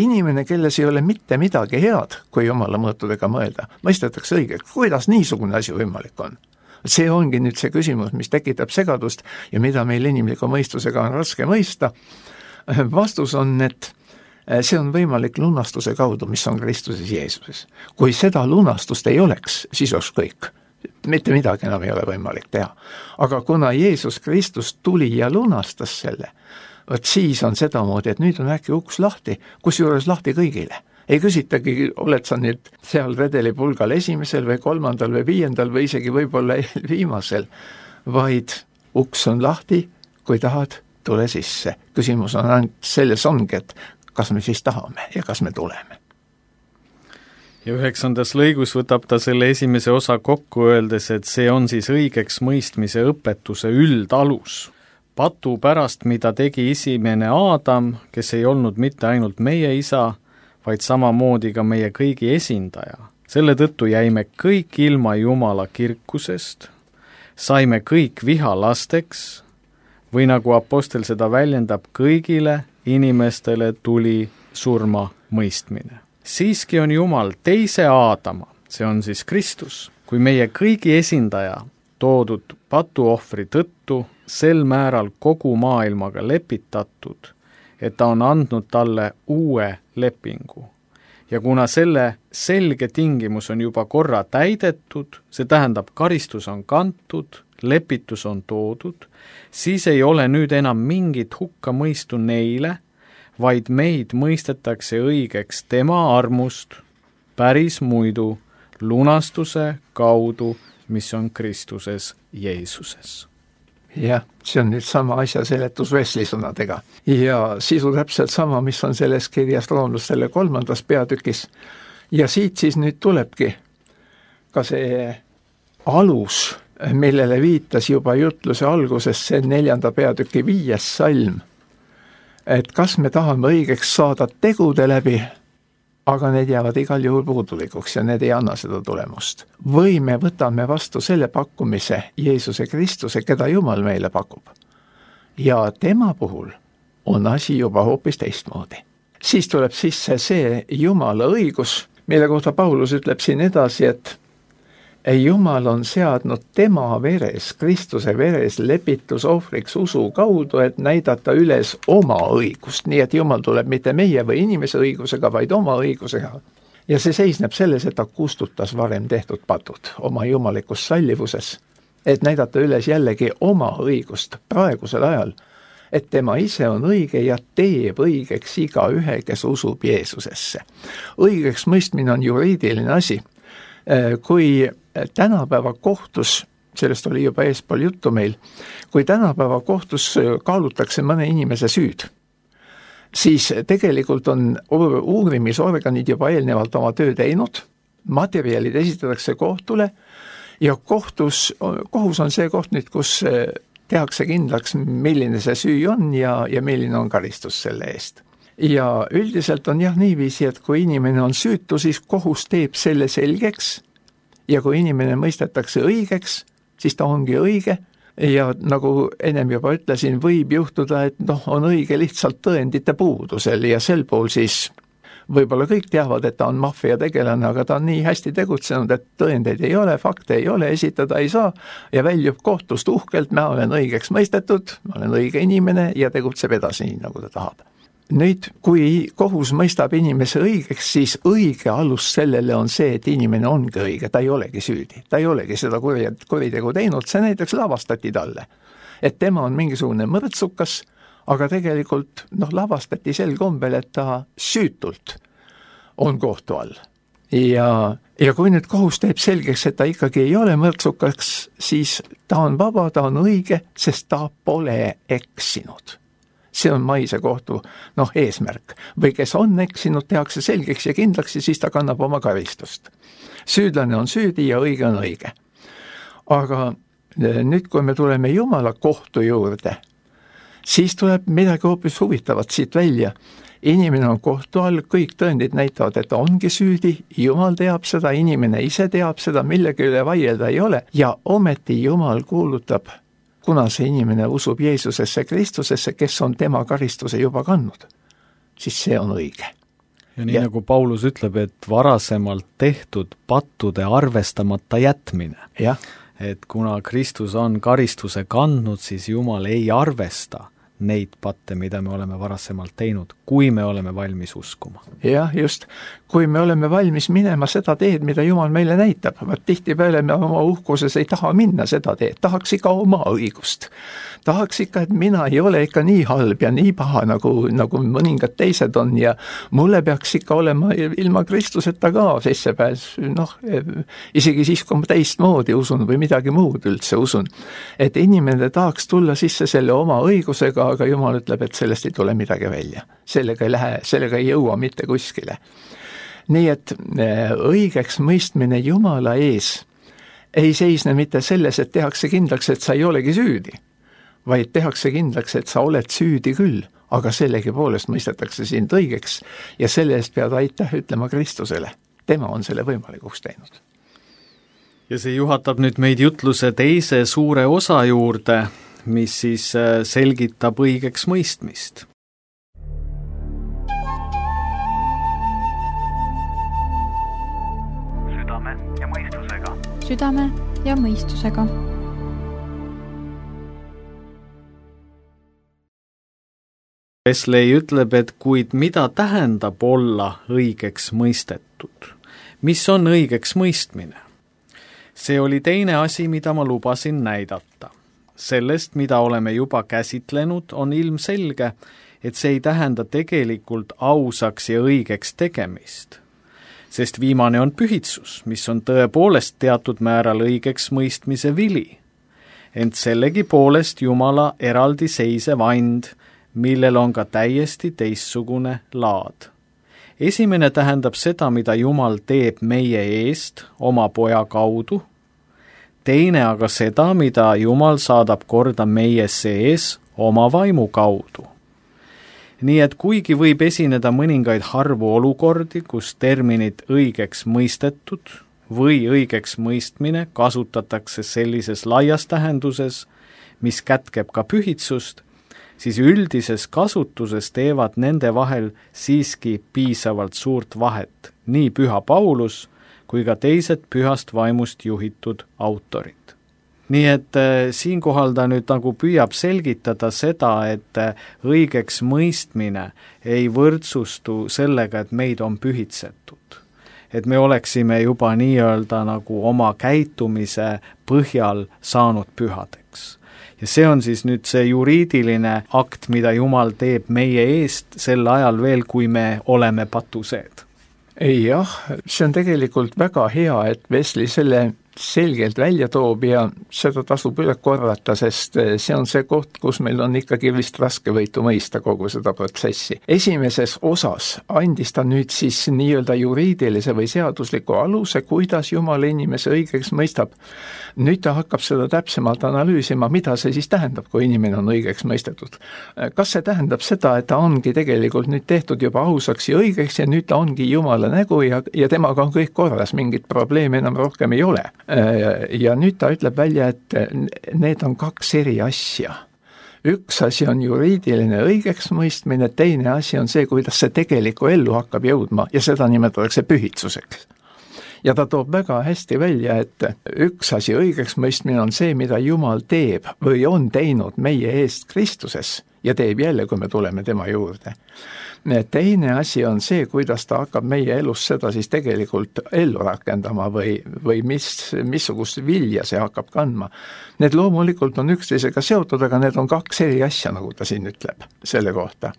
Inimene, kelles ei ole mitte midagi head, kui Jumala mõõtudega mõelda, mõistetakse õigeks. Kuidas niisugune asi võimalik on? See ongi nüüd see küsimus, mis tekitab segadust ja mida meil inimliku mõistusega on raske mõista. Vastus on, et see on võimalik lunastuse kaudu, mis on Kristuses Jeesuses. Kui seda lunastust ei oleks, siis oleks kõik. Mitte midagi enam ei ole võimalik teha. Aga kuna Jeesus Kristus tuli ja lunastas selle, võt siis on sedamoodi, et nüüd on äkki uks lahti, kusjuures lahti kõigile. Ei küsitagi, oled sa nüüd seal redelipulgal esimesel või 3. või 5. või isegi võib-olla viimasel, vaid uks on lahti, kui tahad, tule sisse. Küsimus on ainult selles ongi, et kas me siis tahame ja kas me tuleme. Ja 9. lõigus võtab ta selle esimese osa kokku öeldes, et see on siis õigeks mõistmise õpetuse üldalus. Patu pärast, mida tegi esimene Aadam, kes ei olnud mitte ainult meie isa, vaid samamoodi ka meie kõigi esindaja. Selle tõttu jäime kõik ilma Jumala kirkusest, saime kõik vihalasteks, või nagu apostel seda väljendab, kõigile inimestele tuli surma mõistmine. Siiski on Jumal teise Aadama, see on siis Kristus, kui meie kõigi esindaja toodud patuohvri tõttu sel määral kogu maailmaga lepitatud, et ta on andnud talle uue lepingu. Ja kuna selle selge tingimus on juba korra täidetud, see tähendab, karistus on kantud, lepitus on toodud, siis ei ole nüüd enam mingit hukkamõistu neile, vaid meid mõistetakse õigeks tema armust päris muidu lunastuse kaudu, mis on Kristuses Jeesuses. Jah, see on nüüd sama asja seletus Wesley sõnadega. Ja sisu täpselt sama, mis on selles kirjas roomlastele 3. peatükis. Ja siit siis nüüd tulebki ka see alus, millele viitas juba jutluse alguses see 4. peatüki 5. salm. Et kas me tahame õigeks saada tegude läbi, aga need jäävad igal juhul puudulikuks ja need ei anna seda tulemust. Või me võtame vastu selle pakkumise Jeesuse Kristuse, keda Jumal meile pakub. Ja tema puhul on asi juba hoopis teistmoodi. Siis tuleb sisse see Jumala õigus, mille kohta Paulus ütleb siin edasi, et Jumal on seadnud tema veres, Kristuse veres lepitusohvriks usu kaudu, et näidata üles oma õigust, nii et Jumal tuleb mitte meie või inimese õigusega, vaid oma õigusega. Ja see seisneb selles, et ta kustutas varem tehtud patud oma jumalikus sallivuses, et näidata üles jällegi oma õigust praegusel ajal, et tema ise on õige ja teeb õigeks iga ühe, kes usub Jeesusesse. Õigeks mõistmine on juriidiline asi. Kui tänapäeva kohtus, sellest oli juba eespool juttu meil, kui tänapäeva kohtus kaalutakse mõne inimese süüd, siis tegelikult on uurimisorganid juba eelnevalt oma töö teinud, materjalid esitatakse kohtule ja kohus on see koht nüüd, kus tehakse kindlaks, milline see süü on ja milline on karistus selle eest. Ja üldiselt on jah niiviisi, et kui inimene on süütu, siis kohus teeb selle selgeks ja kui inimene mõistetakse õigeks, siis ta ongi õige ja nagu ennem juba ütlesin, võib juhtuda, et on õige lihtsalt tõendite puudusel ja sel pool siis võib-olla kõik teavad, et ta on maffia tegelane, aga ta on nii hästi tegutsenud, et tõendeid ei ole, fakte ei ole, esitada ei saa ja väljub kohtust uhkelt, ma olen õigeks mõistetud, ma olen õige inimene ja tegutseb edasi nii, nagu ta tahab. Nüüd, kui kohus mõistab inimese õigeks, siis õige alus sellele on see, et inimene ongi õige, ta ei olegi süüdi, ta ei olegi seda kuritegu teinud, see näiteks lavastati talle. Et tema on mingisugune mõrtsukas, aga tegelikult lavastati sel kombel, et ta süütult on kohtu all. Ja kui nüüd kohus teeb selgeks, et ta ikkagi ei ole mõrtsukas, siis ta on vaba, ta on õige, sest ta pole eksinud. See on maise kohtu eesmärk. Või kes on eksinud, tehakse selgeks ja kindlaks ja siis ta kannab oma karistust. Süüdlane on süüdi ja õige on õige. Aga nüüd, kui me tuleme Jumala kohtu juurde, siis tuleb midagi hoopis huvitavat siit välja. Inimene on kohtu all, kõik tõendid näitavad, et ta ongi süüdi, Jumal teab seda, inimene ise teab seda, millegi üle vaielda ei ole ja ometi Jumal kuulutab, kuna see inimene usub Jeesusesse Kristusesse, kes on tema karistuse juba kandnud, siis see on õige. Ja nii nagu Paulus ütleb, et varasemalt tehtud pattude arvestamata jätmine. Jah. Et kuna Kristus on karistuse kandnud, siis Jumal ei arvesta neid patte, mida me oleme varasemalt teinud, kui me oleme valmis uskuma. Jah, just. Kui me oleme valmis minema seda teed, mida Jumal meile näitab, tihtipeale me oma uhkuses ei taha minna seda teed, tahaks ikka oma õigust. Tahaks ikka, et mina ei ole ikka nii halb ja nii paha, nagu mõningad teised on ja mulle peaks ikka olema ilma Kristuseta ka sissepääs, isegi siis, kui ma teistmoodi usun või midagi muud üldse usun. Et inimene tahaks tulla sisse selle oma õigusega, aga Jumal ütleb, et sellest ei tule midagi välja. Sellega ei jõua mitte kuskile. Nii et õigeks mõistmine Jumala ees ei seisne mitte selles, et tehakse kindlaks, et sa ei olegi süüdi, vaid tehakse kindlaks, et sa oled süüdi küll, aga sellegi poolest mõistetakse sind õigeks ja selle eest pead aitäh ütlema Kristusele. Tema on selle võimalikuks teinud. Ja see juhatab nüüd meid jutluse teise suure osa juurde, mis siis selgitab õigeks mõistmist. Südame ja mõistusega. Südame ja mõistusega. Wesley ütleb, et kuid mida tähendab olla õigeks mõistetud? Mis on õigeks mõistmine? See oli teine asi, mida ma lubasin näidata. Sellest, mida oleme juba käsitlenud, on ilmselge, et see ei tähenda tegelikult ausaks ja õigeks tegemist. Sest viimane on pühitsus, mis on tõepoolest teatud määral õigeks mõistmise vili. Ent sellegi poolest Jumala eraldiseisev and, millel on ka täiesti teistsugune laad. Esimene tähendab seda, mida Jumal teeb meie eest oma poja kaudu, teine aga seda, mida Jumal saadab korda meie sees oma vaimu kaudu. Nii et kuigi võib esineda mõningaid harvu olukordi, kus terminit õigeks mõistetud või õigeks mõistmine kasutatakse sellises laias tähenduses, mis kätkeb ka pühitsust, siis üldises kasutuses teevad nende vahel siiski piisavalt suurt vahet, nii püha Paulus kui ka teised pühast vaimust juhitud autorid. Nii et siinkohal ta nüüd nagu püüab selgitada seda, et õigeks mõistmine ei võrdsustu sellega, et meid on pühitsetud. Et me oleksime juba nii-öelda nagu oma käitumise põhjal saanud pühadeks. Ja see on siis nüüd see juriidiline akt, mida Jumal teeb meie eest sel ajal veel, kui me oleme patuseed. Jah, see on tegelikult väga hea, et Wesley selle selgelt välja toob ja seda tasub üle korrata, sest see on see koht, kus meil on ikkagi vist raske võitu mõista kogu seda protsessi. Esimeses osas andis ta nüüd siis nii-öelda juriidilise või seadusliku aluse, kuidas Jumal inimese õigeks mõistab. Nüüd ta hakkab seda täpsemalt analüüsima, mida see siis tähendab, kui inimene on õigeks mõistetud. Kas see tähendab seda, et ta ongi tegelikult nüüd tehtud juba ausaks ja õigeks ja nüüd ta ongi Jumala nägu ja temaga on kõik korras, mingit probleemi enam rohkem ei ole. Ja nüüd ta ütleb välja, et need on kaks eri asja. Üks asi on juriidiline õigeks mõistmine, teine asi on see, kuidas see tegeliku ellu hakkab jõudma ja seda nimetatakse pühitsuseks. Ja ta toob väga hästi välja, et üks asi õigeks mõistmine on see, mida Jumal teeb või on teinud meie eest Kristuses ja teeb jälle, kui me tuleme tema juurde. Teine asi on see, kuidas ta hakkab meie elus seda siis tegelikult ellu rakendama või missugust vilja see hakkab kandma. Need loomulikult on üksteisega seotud, aga need on kaks eri asja, nagu ta siin ütleb selle kohta.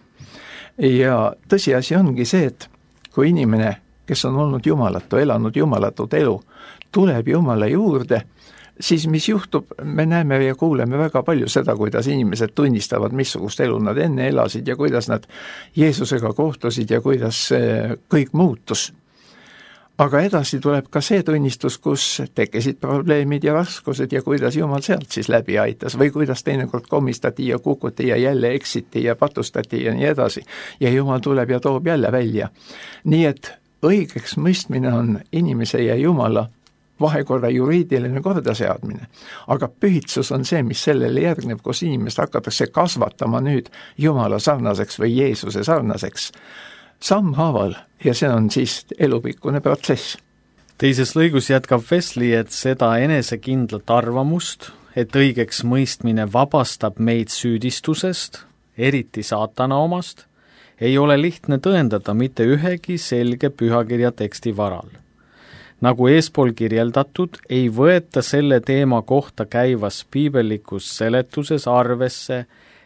Ja tõsiasi ongi see, et kui inimene, kes on olnud jumalatu, elanud jumalatut elu, tuleb Jumala juurde, siis mis juhtub, me näeme ja kuuleme väga palju seda, kuidas inimesed tunnistavad, missugust elu nad enne elasid ja kuidas nad Jeesusega kohtusid ja kuidas kõik muutus. Aga edasi tuleb ka see tunnistus, kus tekkisid probleemid ja raskused ja kuidas Jumal sealt siis läbi aitas või kuidas teinekord komistati ja kukuti ja jälle eksiti ja patustati ja nii edasi. Ja Jumal tuleb ja toob jälle välja. Nii et õigeks mõistmine on inimese ja Jumala vahekorra juriidiline kordaseadmine. Aga pühitsus on see, mis sellele järgneb, kus inimest hakatakse kasvatama nüüd Jumala sarnaseks või Jeesuse sarnaseks sammhaaval ja see on siis elupikkune protsess. Teises lõigus jätkab Wesley, et seda enesekindlat arvamust, et õigeks mõistmine vabastab meid süüdistusest, eriti saatana omast, ei ole lihtne tõendada mitte ühegi selge pühakirja teksti varal. Nagu eespool kirjeldatud, ei võeta selle teema kohta käivas piibellikus seletuses arvesse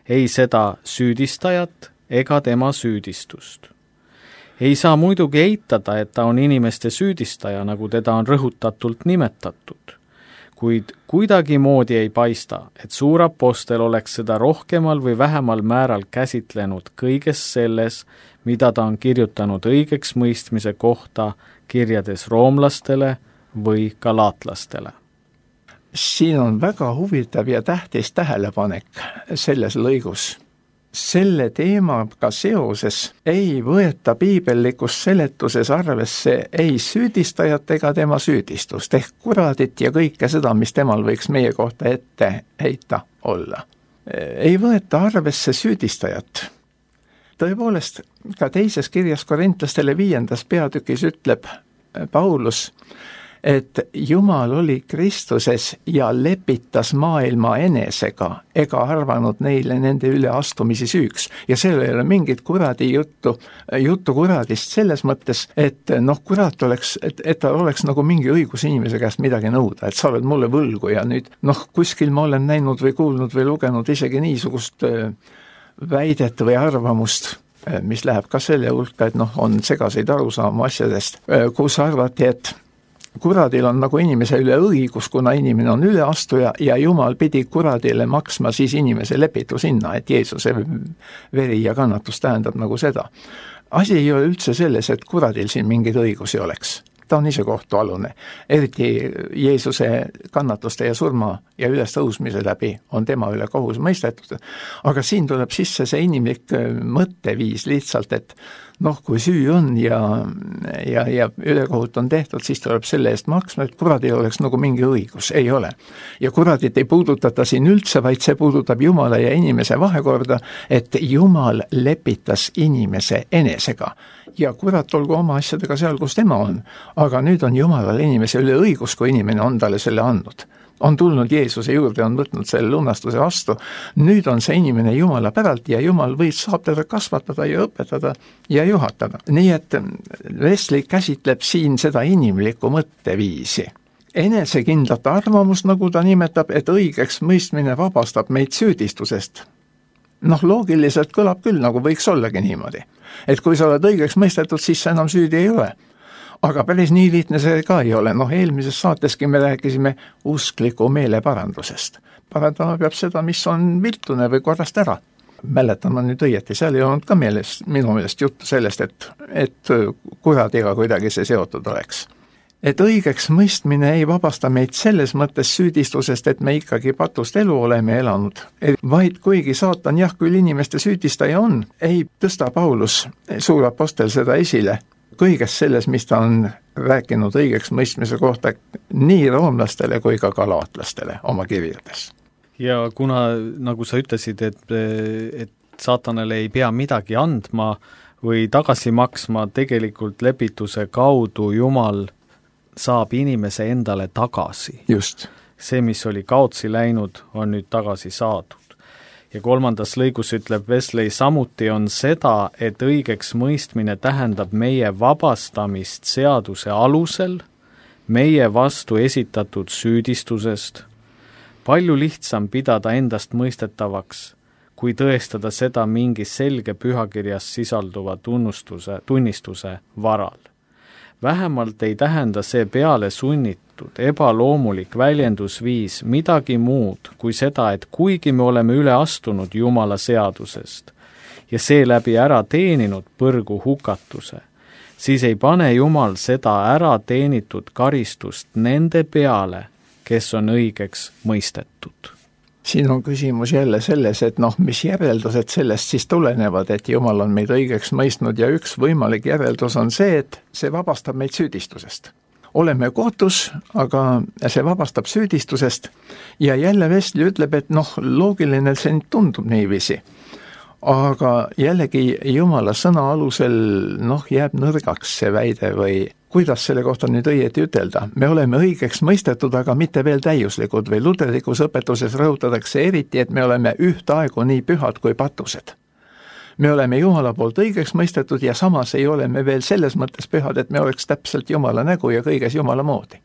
ei seda süüdistajat ega tema süüdistust. Ei saa muidugi eitada, et ta on inimeste süüdistaja, nagu teda on rõhutatult nimetatud, kuid kuidagi moodi ei paista, et suur apostel oleks seda rohkemal või vähemal määral käsitlenud kõiges selles, mida ta on kirjutanud õigeks mõistmise kohta kirjades roomlastele või galaatlastele. Siin on väga huvitav ja tähtis tähelepanek selles lõigus. Selle teemaga seoses ei võeta piibellikus seletuses arvesse ei süüdistajat ega tema süüdistust, ehk kuradit ja kõike seda, mis temal võiks meie kohta ette heita olla. Ei võeta arvesse süüdistajat. Tõepoolest, ka teises kirjas Korintlastele 5. peatükis ütleb Paulus, et Jumal oli Kristuses ja lepitas maailma enesega ega arvanud neile nende üle astumisi süüks. Ja seal ei ole mingit kuradi juttu kuradist selles mõttes, et kurat oleks, et ta oleks nagu mingi õigus inimese käest midagi nõuda, et sa oled mulle võlgu ja nüüd kuskil ma olen näinud või kuulnud või lugenud isegi niisugust väidet või arvamust, mis läheb ka selle hulka, et on segaseid arusaama asjadest, kus arvati, et kuradil on nagu inimese üle õigus, kuna inimene on üleastuja ja Jumal pidi kuradile maksma siis inimese lepitushinna, et Jeesuse veri ja kannatus tähendab nagu seda. Asi ei ole üldse selles, et kuradil siin mingeid õigusi oleks. Ta on ise kohtualune. Eriti Jeesuse kannatuste ja surma ja ülestõusmise läbi on tema üle kohus mõistetud. Aga siin tuleb sisse see inimlik mõtteviis lihtsalt, et kui süü on ja ülekohut on tehtud, siis tuleb selle eest maksma, et kuradil oleks nagu mingi õigus. Ei ole. Ja kuradit ei puudutata siin üldse, vaid see puudutab Jumala ja inimese vahekorda, et Jumal lepitas inimese enesega. Ja kurat olgu oma asjadega seal, kus tema on. Aga nüüd on Jumalal inimese üle õigus, kui inimene on talle selle andnud. On tulnud Jeesuse juurde, on võtnud selle lunastuse vastu. Nüüd on see inimene Jumala päralt ja Jumal saab teda kasvatada ja õpetada ja juhatada. Nii et Wesley käsitleb siin seda inimlikku mõtteviisi. Enesekindlat arvamust, nagu ta nimetab, et õigeks mõistmine vabastab meid süüdistusest. Loogiliselt kõlab küll, nagu võiks ollagi niimoodi. Et kui sa oled õigeks mõistetud, siis sa enam süüdi ei ole. Aga päris nii lihtne see ka ei ole. Eelmises saateski me rääkisime uskliku meeleparandusest. Parandama peab seda, mis on viltune või korrast ära. Mäletan ma nüüd õieti, seal ei olnud ka minu meelest juttu sellest, et kuradiga kuidagi see seotud oleks. Et õigeks mõistmine ei vabasta meid selles mõttes süüdistusest, et me ikkagi patust elu oleme elanud, vaid kuigi saatan küll inimeste süüdistaja on, ei tõsta Paulus, suur apostel, seda esile kõiges selles, mis ta on rääkinud õigeks mõistmise kohta nii roomlastele kui ka galaatlastele oma kirjades. Ja kuna, nagu sa ütlesid, et saatanale ei pea midagi andma või tagasi maksma, tegelikult lepituse kaudu Jumal saab inimese endale tagasi. Just. See, mis oli kaotsi läinud, on nüüd tagasi saadud. Ja 3. lõigus ütleb Wesley, samuti on seda, et õigeks mõistmine tähendab meie vabastamist seaduse alusel, meie vastu esitatud süüdistusest. Palju lihtsam pidada endast mõistetavaks, kui tõestada seda mingi selge pühakirjas sisalduva tunnistuse varal. Vähemalt ei tähenda see peale sunnitud, ebaloomulik väljendusviis midagi muud kui seda, et kuigi me oleme üle astunud Jumala seadusest ja seeläbi ära teeninud põrgu hukatuse, siis ei pane Jumal seda ära teenitud karistust nende peale, kes on õigeks mõistetud. Siin on küsimus jälle selles, et mis järeldused sellest siis tulenevad, et Jumal on meid õigeks mõistnud ja üks võimalik järeldus on see, et see vabastab meid süüdistusest. Oleme kohtus, aga see vabastab süüdistusest ja jälle Wesley ütleb, et loogiline see tundub niiviisi. Aga jällegi Jumala sõna alusel jääb nõrgaks see väide või kuidas selle kohta nüüd õieti ütelda. Me oleme õigeks mõistetud, aga mitte veel täiuslikud või luterlikus õpetuses rõhutatakse eriti, et me oleme ühtaegu nii pühad kui patused. Me oleme Jumala poolt õigeks mõistetud ja samas ei ole me veel selles mõttes pühad, et me oleks täpselt Jumala nägu ja kõiges Jumala moodi.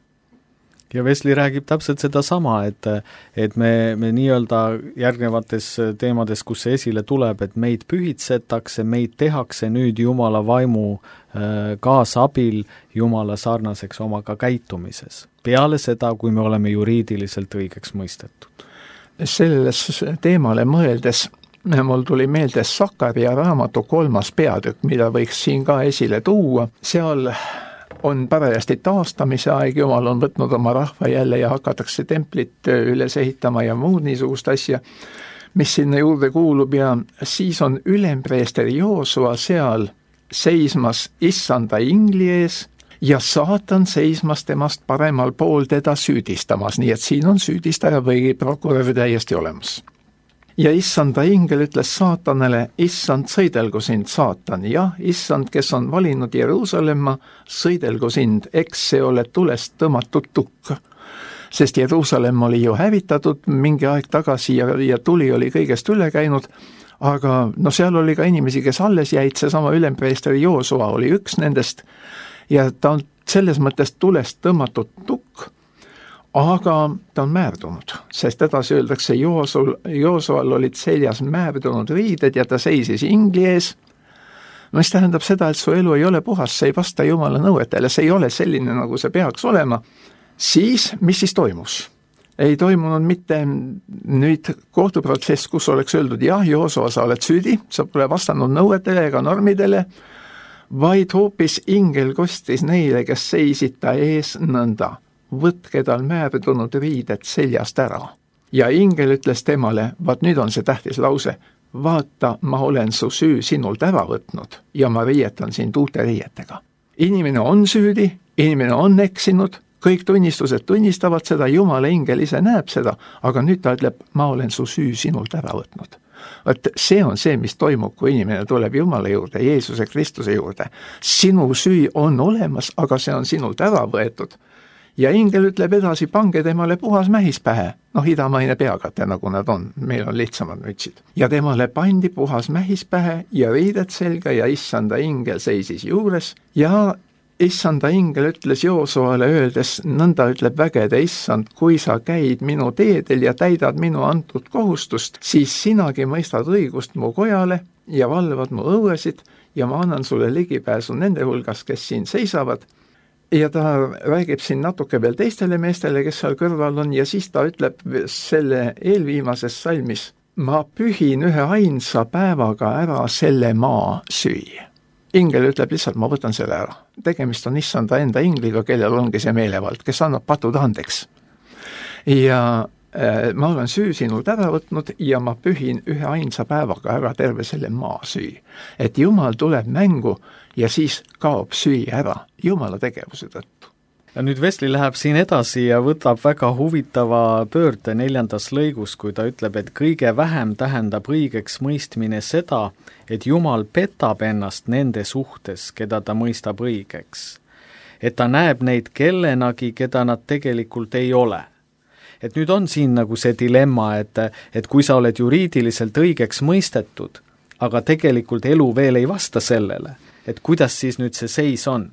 Ja Wesley räägib täpselt seda sama, et me nii-öelda järgnevates teemades, kus see esile tuleb, et meid pühitsetakse, meid tehakse nüüd Jumala vaimu kaasabil Jumala sarnaseks omaga käitumises. Peale seda, kui me oleme juriidiliselt õigeks mõistetud. Selles teemale mõeldes mul tuli meelde Sakaria raamatu 3. peatükk, mida võiks siin ka esile tuua. Seal on parajasti taastamise aeg, Jumal on võtnud oma rahva jälle ja hakatakse templit üles ehitama ja muud niisugust asja, mis sinna juurde kuulub ja siis on ülempreester Joosua seal seismas issanda ingli ees ja saatan seismas temast paremal pool teda süüdistamas, nii et siin on süüdistaja või prokurör täiesti olemas. Ja issanda ingel ütles saatanele, issand, sõidelgu sind, saatan, jah, issand, kes on valinud Jeruusalemma, sõidelgu sind, eks see ole tulest tõmmatud tukk. Sest Jeruusalemm oli ju hävitatud mingi aeg tagasi ja tuli oli kõigest üle käinud, aga seal oli ka inimesi, kes alles jäid, seesama ülempreester Joosua oli üks nendest ja ta on selles mõttes tulest tõmmatud tukk, aga ta on määrdunud, sest edasi öeldakse, Joosual olid seljas määrdunud riided ja ta seisis ingli ees, mis tähendab seda, et su elu ei ole puhas, see ei vasta Jumala nõuetele, see ei ole selline, nagu see peaks olema, siis, mis siis toimus? Ei toimunud mitte nüüd kohtuprotsess, kus oleks öeldud, jah, Joosua, sa oled süüdi, sa pole vastanud nõuetele ega normidele, vaid hoopis ingel kostis neile, kes seisid ta ees nõnda. Võtke tal määrdunud riided seljast ära. Ja ingel ütles temale, vaat nüüd on see tähtis lause, vaata, ma olen su süü sinult ära võtnud ja ma riietan sind uute riietega. Inimene on süüdi, inimene on eksinud, kõik tunnistused tunnistavad seda, Jumala ingel ise näeb seda, aga nüüd ta ütleb, ma olen su süü sinult ära võtnud. Vaat see on see, mis toimub, kui inimene tuleb Jumala juurde, Jeesuse Kristuse juurde. Sinu süü on olemas, aga see on sinult ära võetud. Ja ingel ütleb edasi, pange temale puhas mähis pähe, idamaine peakate, nagu nad on, meil on lihtsamad mütsid. Ja temale pandi puhas mähis pähe ja riided selga ja issanda ingel seisis juures ja issanda ingel ütles Joosuale öeldes, nõnda ütleb vägede issand, kui sa käid minu teedel ja täidad minu antud kohustust, siis sinagi mõistad õigust mu kojale ja valvad mu õuesid ja ma annan sulle ligipääsu nende hulgas, kes siin seisavad. Ja ta räägib siin natuke veel teistele meestele, kes seal kõrval on, ja siis ta ütleb selle eelviimases salmis, ma pühin ühe ainsa päevaga ära selle maa süü. Ingel ütleb lihtsalt, ma võtan selle ära. Tegemist on issanda enda ingliga, kellel ongi see meelevald, kes annab patud andeks. Ja ma olen süü sinult ära võtnud ja ma pühin ühe ainsa päevaga ära terve selle maa süü. Et Jumal tuleb mängu ja siis kaob süü ära Jumala tegevuse tõttu. Ja nüüd Wesley läheb siin edasi ja võtab väga huvitava pöörde 4. lõigus, kui ta ütleb, et kõige vähem tähendab õigeks mõistmine seda, et Jumal petab ennast nende suhtes, keda ta mõistab õigeks. Et ta näeb neid kellenagi, keda nad tegelikult ei ole. et nüüd on siin nagu see dilemma, et kui sa oled juriidiliselt õigeks mõistetud, aga tegelikult elu veel ei vasta sellele, et kuidas siis nüüd see seis on.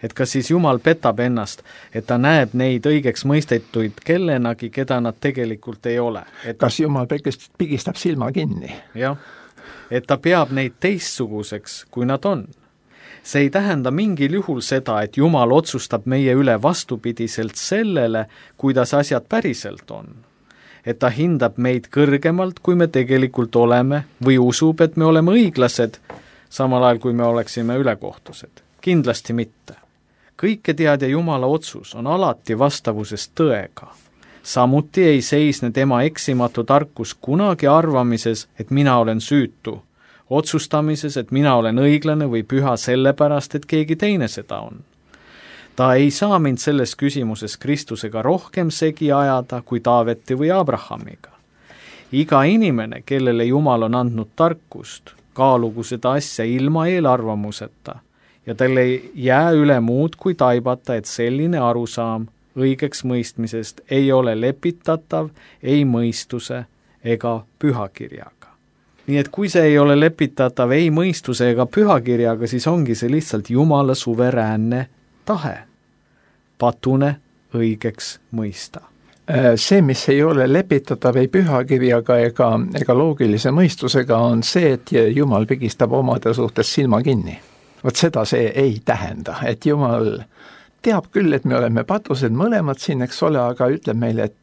Et kas siis Jumal petab ennast, et ta näeb neid õigeks mõistetuid kellenagi, keda nad tegelikult ei ole. Kas Jumal pigistab silma kinni? Jah, et ta peab neid teistsuguseks, kui nad on. See ei tähenda mingil juhul seda, et Jumal otsustab meie üle vastupidiselt sellele, kuidas asjad päriselt on. Et ta hindab meid kõrgemalt, kui me tegelikult oleme, või usub, et me oleme õiglased, samal ajal kui me oleksime ülekohtused. Kindlasti mitte. Kõike teadja Jumala otsus on alati vastavuses tõega. Samuti ei seisne tema eksimatu tarkus kunagi arvamises, et mina olen süütu, otsustamises, et mina olen õiglane või püha sellepärast, et keegi teine seda on. Ta ei saa mind selles küsimuses Kristusega rohkem segi ajada kui Taaveti või Abrahamiga. Iga inimene, kellele Jumal on andnud tarkust, kaalugu seda asja ilma eelarvamuseta ja tal ei jää üle muud kui taibata, et selline arusaam õigeks mõistmisest ei ole lepitatav ei mõistuse ega pühakirjaga. Nii et kui see ei ole lepitatav ei mõistuse ega pühakirjaga, siis ongi see lihtsalt Jumala suveräänne tahe, patune õigeks mõista. See, mis ei ole lepitatav ei pühakirjaga ega loogilise mõistusega, on see, et Jumal pigistab omade suhtes silma kinni. Vot seda see ei tähenda, et Jumal teab küll, et me oleme patused mõlemad siin, eks ole, aga ütleb meile, et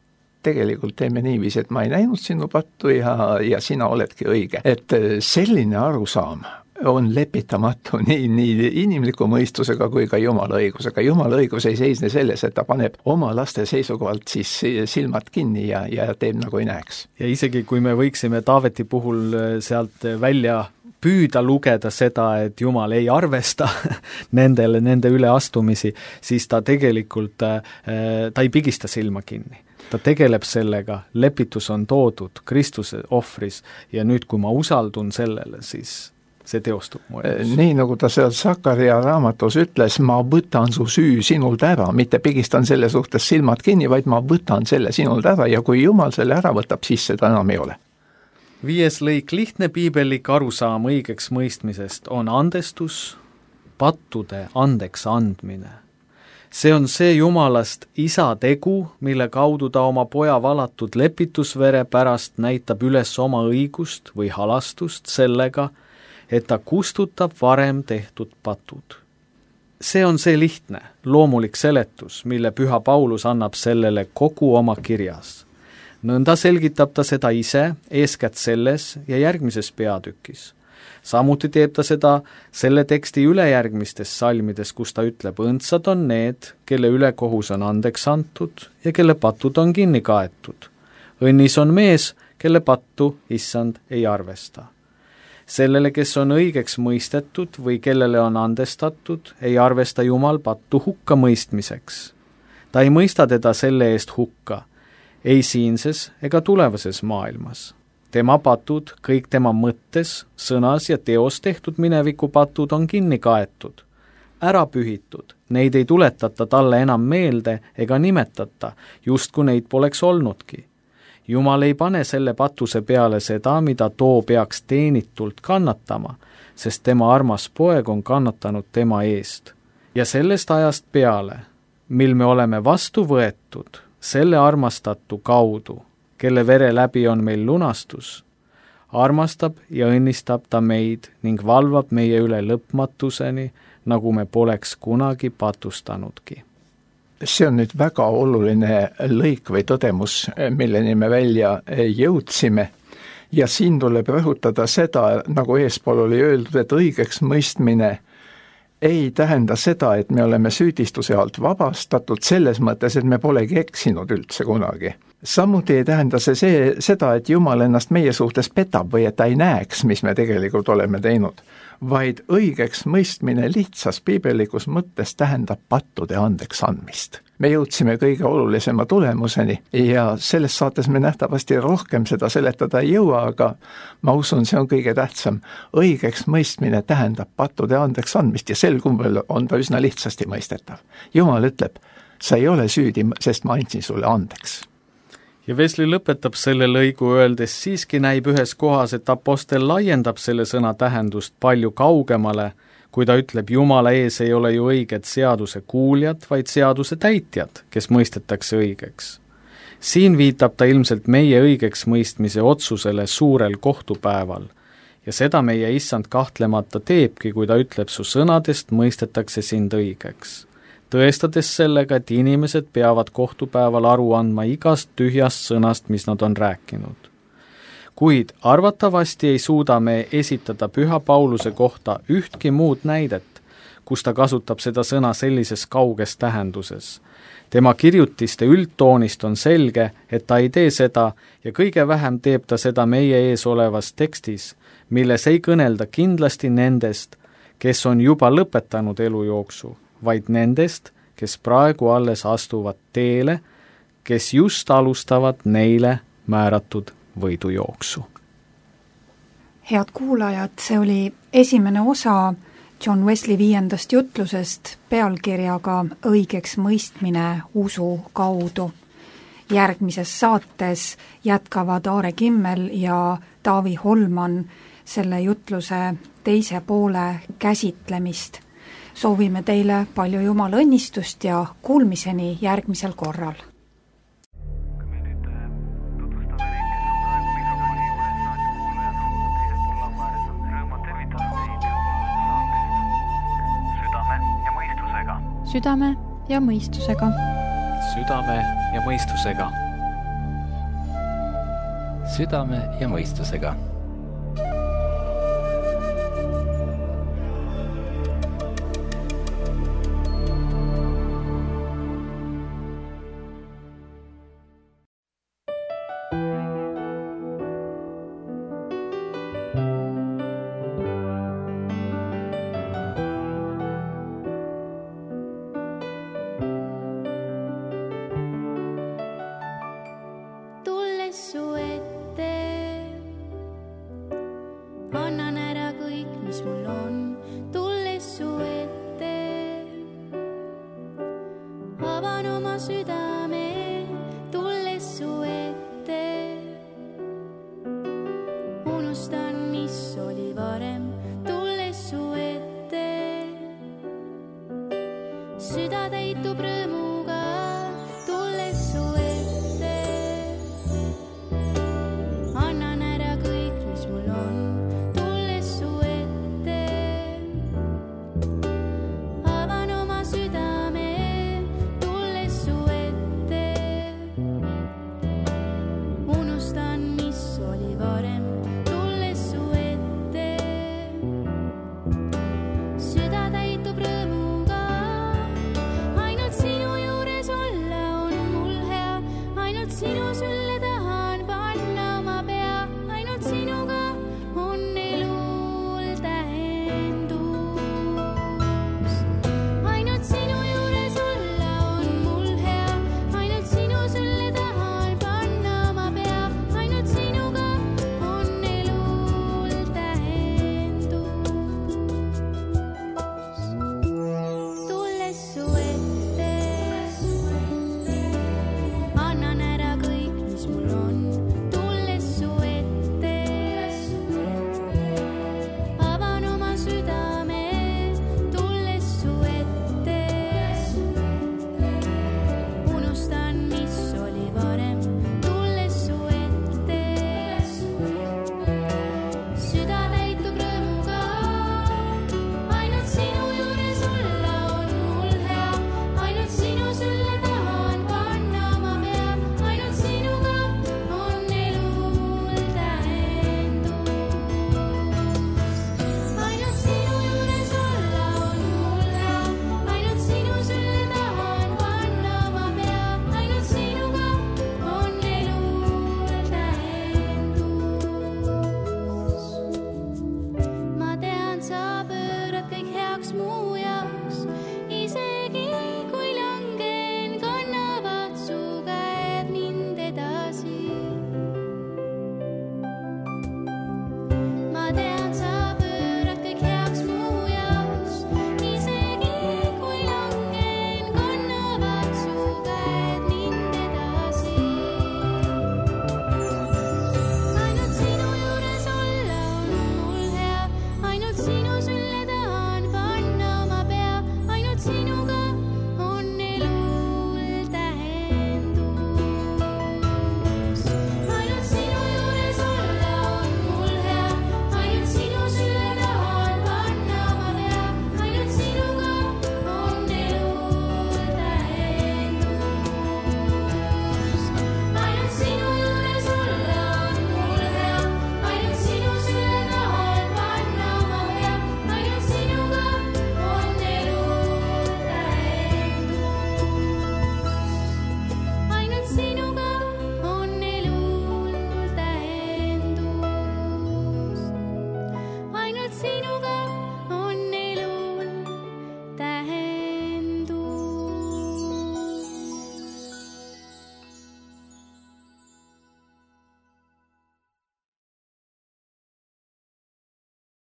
tegelikult teeme niiviisi, et ma ei näinud sinu pattu ja sina oledki õige. Et selline arusaam on lepitamatu nii inimliku mõistusega kui ka Jumala õigusega. Jumala õigus ei seisne selles, et ta paneb oma laste seisukohalt siis silmad kinni ja teeb nagu ei näeks. Ja isegi kui me võiksime Taaveti puhul sealt välja püüda lugeda seda, et Jumal ei arvesta nende üleastumisi, siis ta tegelikult ta ei pigista silma kinni. Ta tegeleb sellega, lepitus on toodud Kristuse ohvris ja nüüd, kui ma usaldun sellele, siis see teostub mu elus. Nii nagu ta seal Sakaria raamatus ütles, ma võtan su süü sinult ära, mitte pigistan selle suhtes silmad kinni, vaid ma võtan selle sinult ära ja kui Jumal selle ära võtab, siis seda enam ei ole. 5. lõik lihtne piibellik arusaam õigeks mõistmisest on andestus, pattude andeks andmine. See on see Jumalast isa tegu, mille kaudu ta oma poja valatud lepitusvere pärast näitab üles oma õigust või halastust sellega, et ta kustutab varem tehtud patud. See on see lihtne, loomulik seletus, mille Püha Paulus annab sellele kogu oma kirjas. Nõnda selgitab ta seda ise, eeskätt selles ja järgmises peatükis. Samuti teeb ta seda selle teksti ülejärgmistes salmides, kus ta ütleb, õndsad on need, kelle ülekohus on andeks antud ja kelle patud on kinni kaetud. Õnnis on mees, kelle pattu issand ei arvesta. Sellele, kes on õigeks mõistetud või kellele on andestatud, ei arvesta Jumal pattu hukka mõistmiseks. Ta ei mõista teda selle eest hukka, ei siinses ega tulevases maailmas. Tema patud, kõik tema mõttes, sõnas ja teos tehtud mineviku patud on kinni kaetud, ära pühitud, neid ei tuletata talle enam meelde ega nimetata, just kui neid poleks olnudki. Jumal ei pane selle patuse peale seda, mida too peaks teenitult kannatama, sest tema armas poeg on kannatanud tema eest. Ja sellest ajast peale, mil me oleme vastu võetud, selle armastatu kaudu, kelle vere läbi on meil lunastus, armastab ja õnnistab ta meid ning valvab meie üle lõpmatuseni, nagu me poleks kunagi patustanudki. See on nüüd väga oluline lõik või tõdemus, milleni me välja jõudsime ja siin tuleb rõhutada seda, nagu eespool oli öeldud, et õigeks mõistmine ei tähenda seda, et me oleme süüdistuse alt vabastatud selles mõttes, et me polegi eksinud üldse kunagi. Samuti ei tähenda see seda, et Jumal ennast meie suhtes petab või et ta ei näeks, mis me tegelikult oleme teinud, vaid õigeks mõistmine lihtsas piibellikus mõttes tähendab pattude andeks andmist. Me jõudsime kõige olulisema tulemuseni ja selles saates me nähtavasti rohkem seda seletada ei jõua, aga ma usun, see on kõige tähtsam. Õigeks mõistmine tähendab pattude andeks andmist ja sel kumbel on ta üsna lihtsasti mõistetav. Jumal ütleb, sa ei ole süüdi, sest ma andsin sulle andeks. ja Wesley lõpetab selle lõigu öeldes, siiski näib ühes kohas, et apostel laiendab selle sõna tähendust palju kaugemale, kui ta ütleb, Jumala ees ei ole ju õiged seaduse kuuljad, vaid seaduse täitjad, kes mõistetakse õigeks. Siin viitab ta ilmselt meie õigeks mõistmise otsusele suurel kohtupäeval ja seda meie issand kahtlemata teebki, kui ta ütleb, su sõnadest mõistetakse sind õigeks, tõestades sellega, et inimesed peavad kohtupäeval aru andma igast tühjast sõnast, mis nad on rääkinud. Kuid arvatavasti ei suuda me esitada Püha Pauluse kohta ühtki muud näidet, kus ta kasutab seda sõna sellises kauges tähenduses. Tema kirjutiste üldtoonist on selge, et ta ei tee seda ja kõige vähem teeb ta seda meie ees olevas tekstis, milles ei kõnelda kindlasti nendest, kes on juba lõpetanud elujooksu, vaid nendest, kes praegu alles astuvad teele, kes just alustavad neile määratud võidujooksu. Head kuulajad, see oli esimene osa John Wesley 5. jutlusest pealkirjaga Õigeks mõistmine usu kaudu. Järgmises saates jätkavad Aare Kimmel ja Taavi Holman selle jutluse teise poole käsitlemist. Soovime teile palju Jumala õnnistust ja kuulmiseni järgmisel korral. Südame ja mõistusega. Südame ja mõistusega. Südame ja mõistusega. Süda täitub rõõmu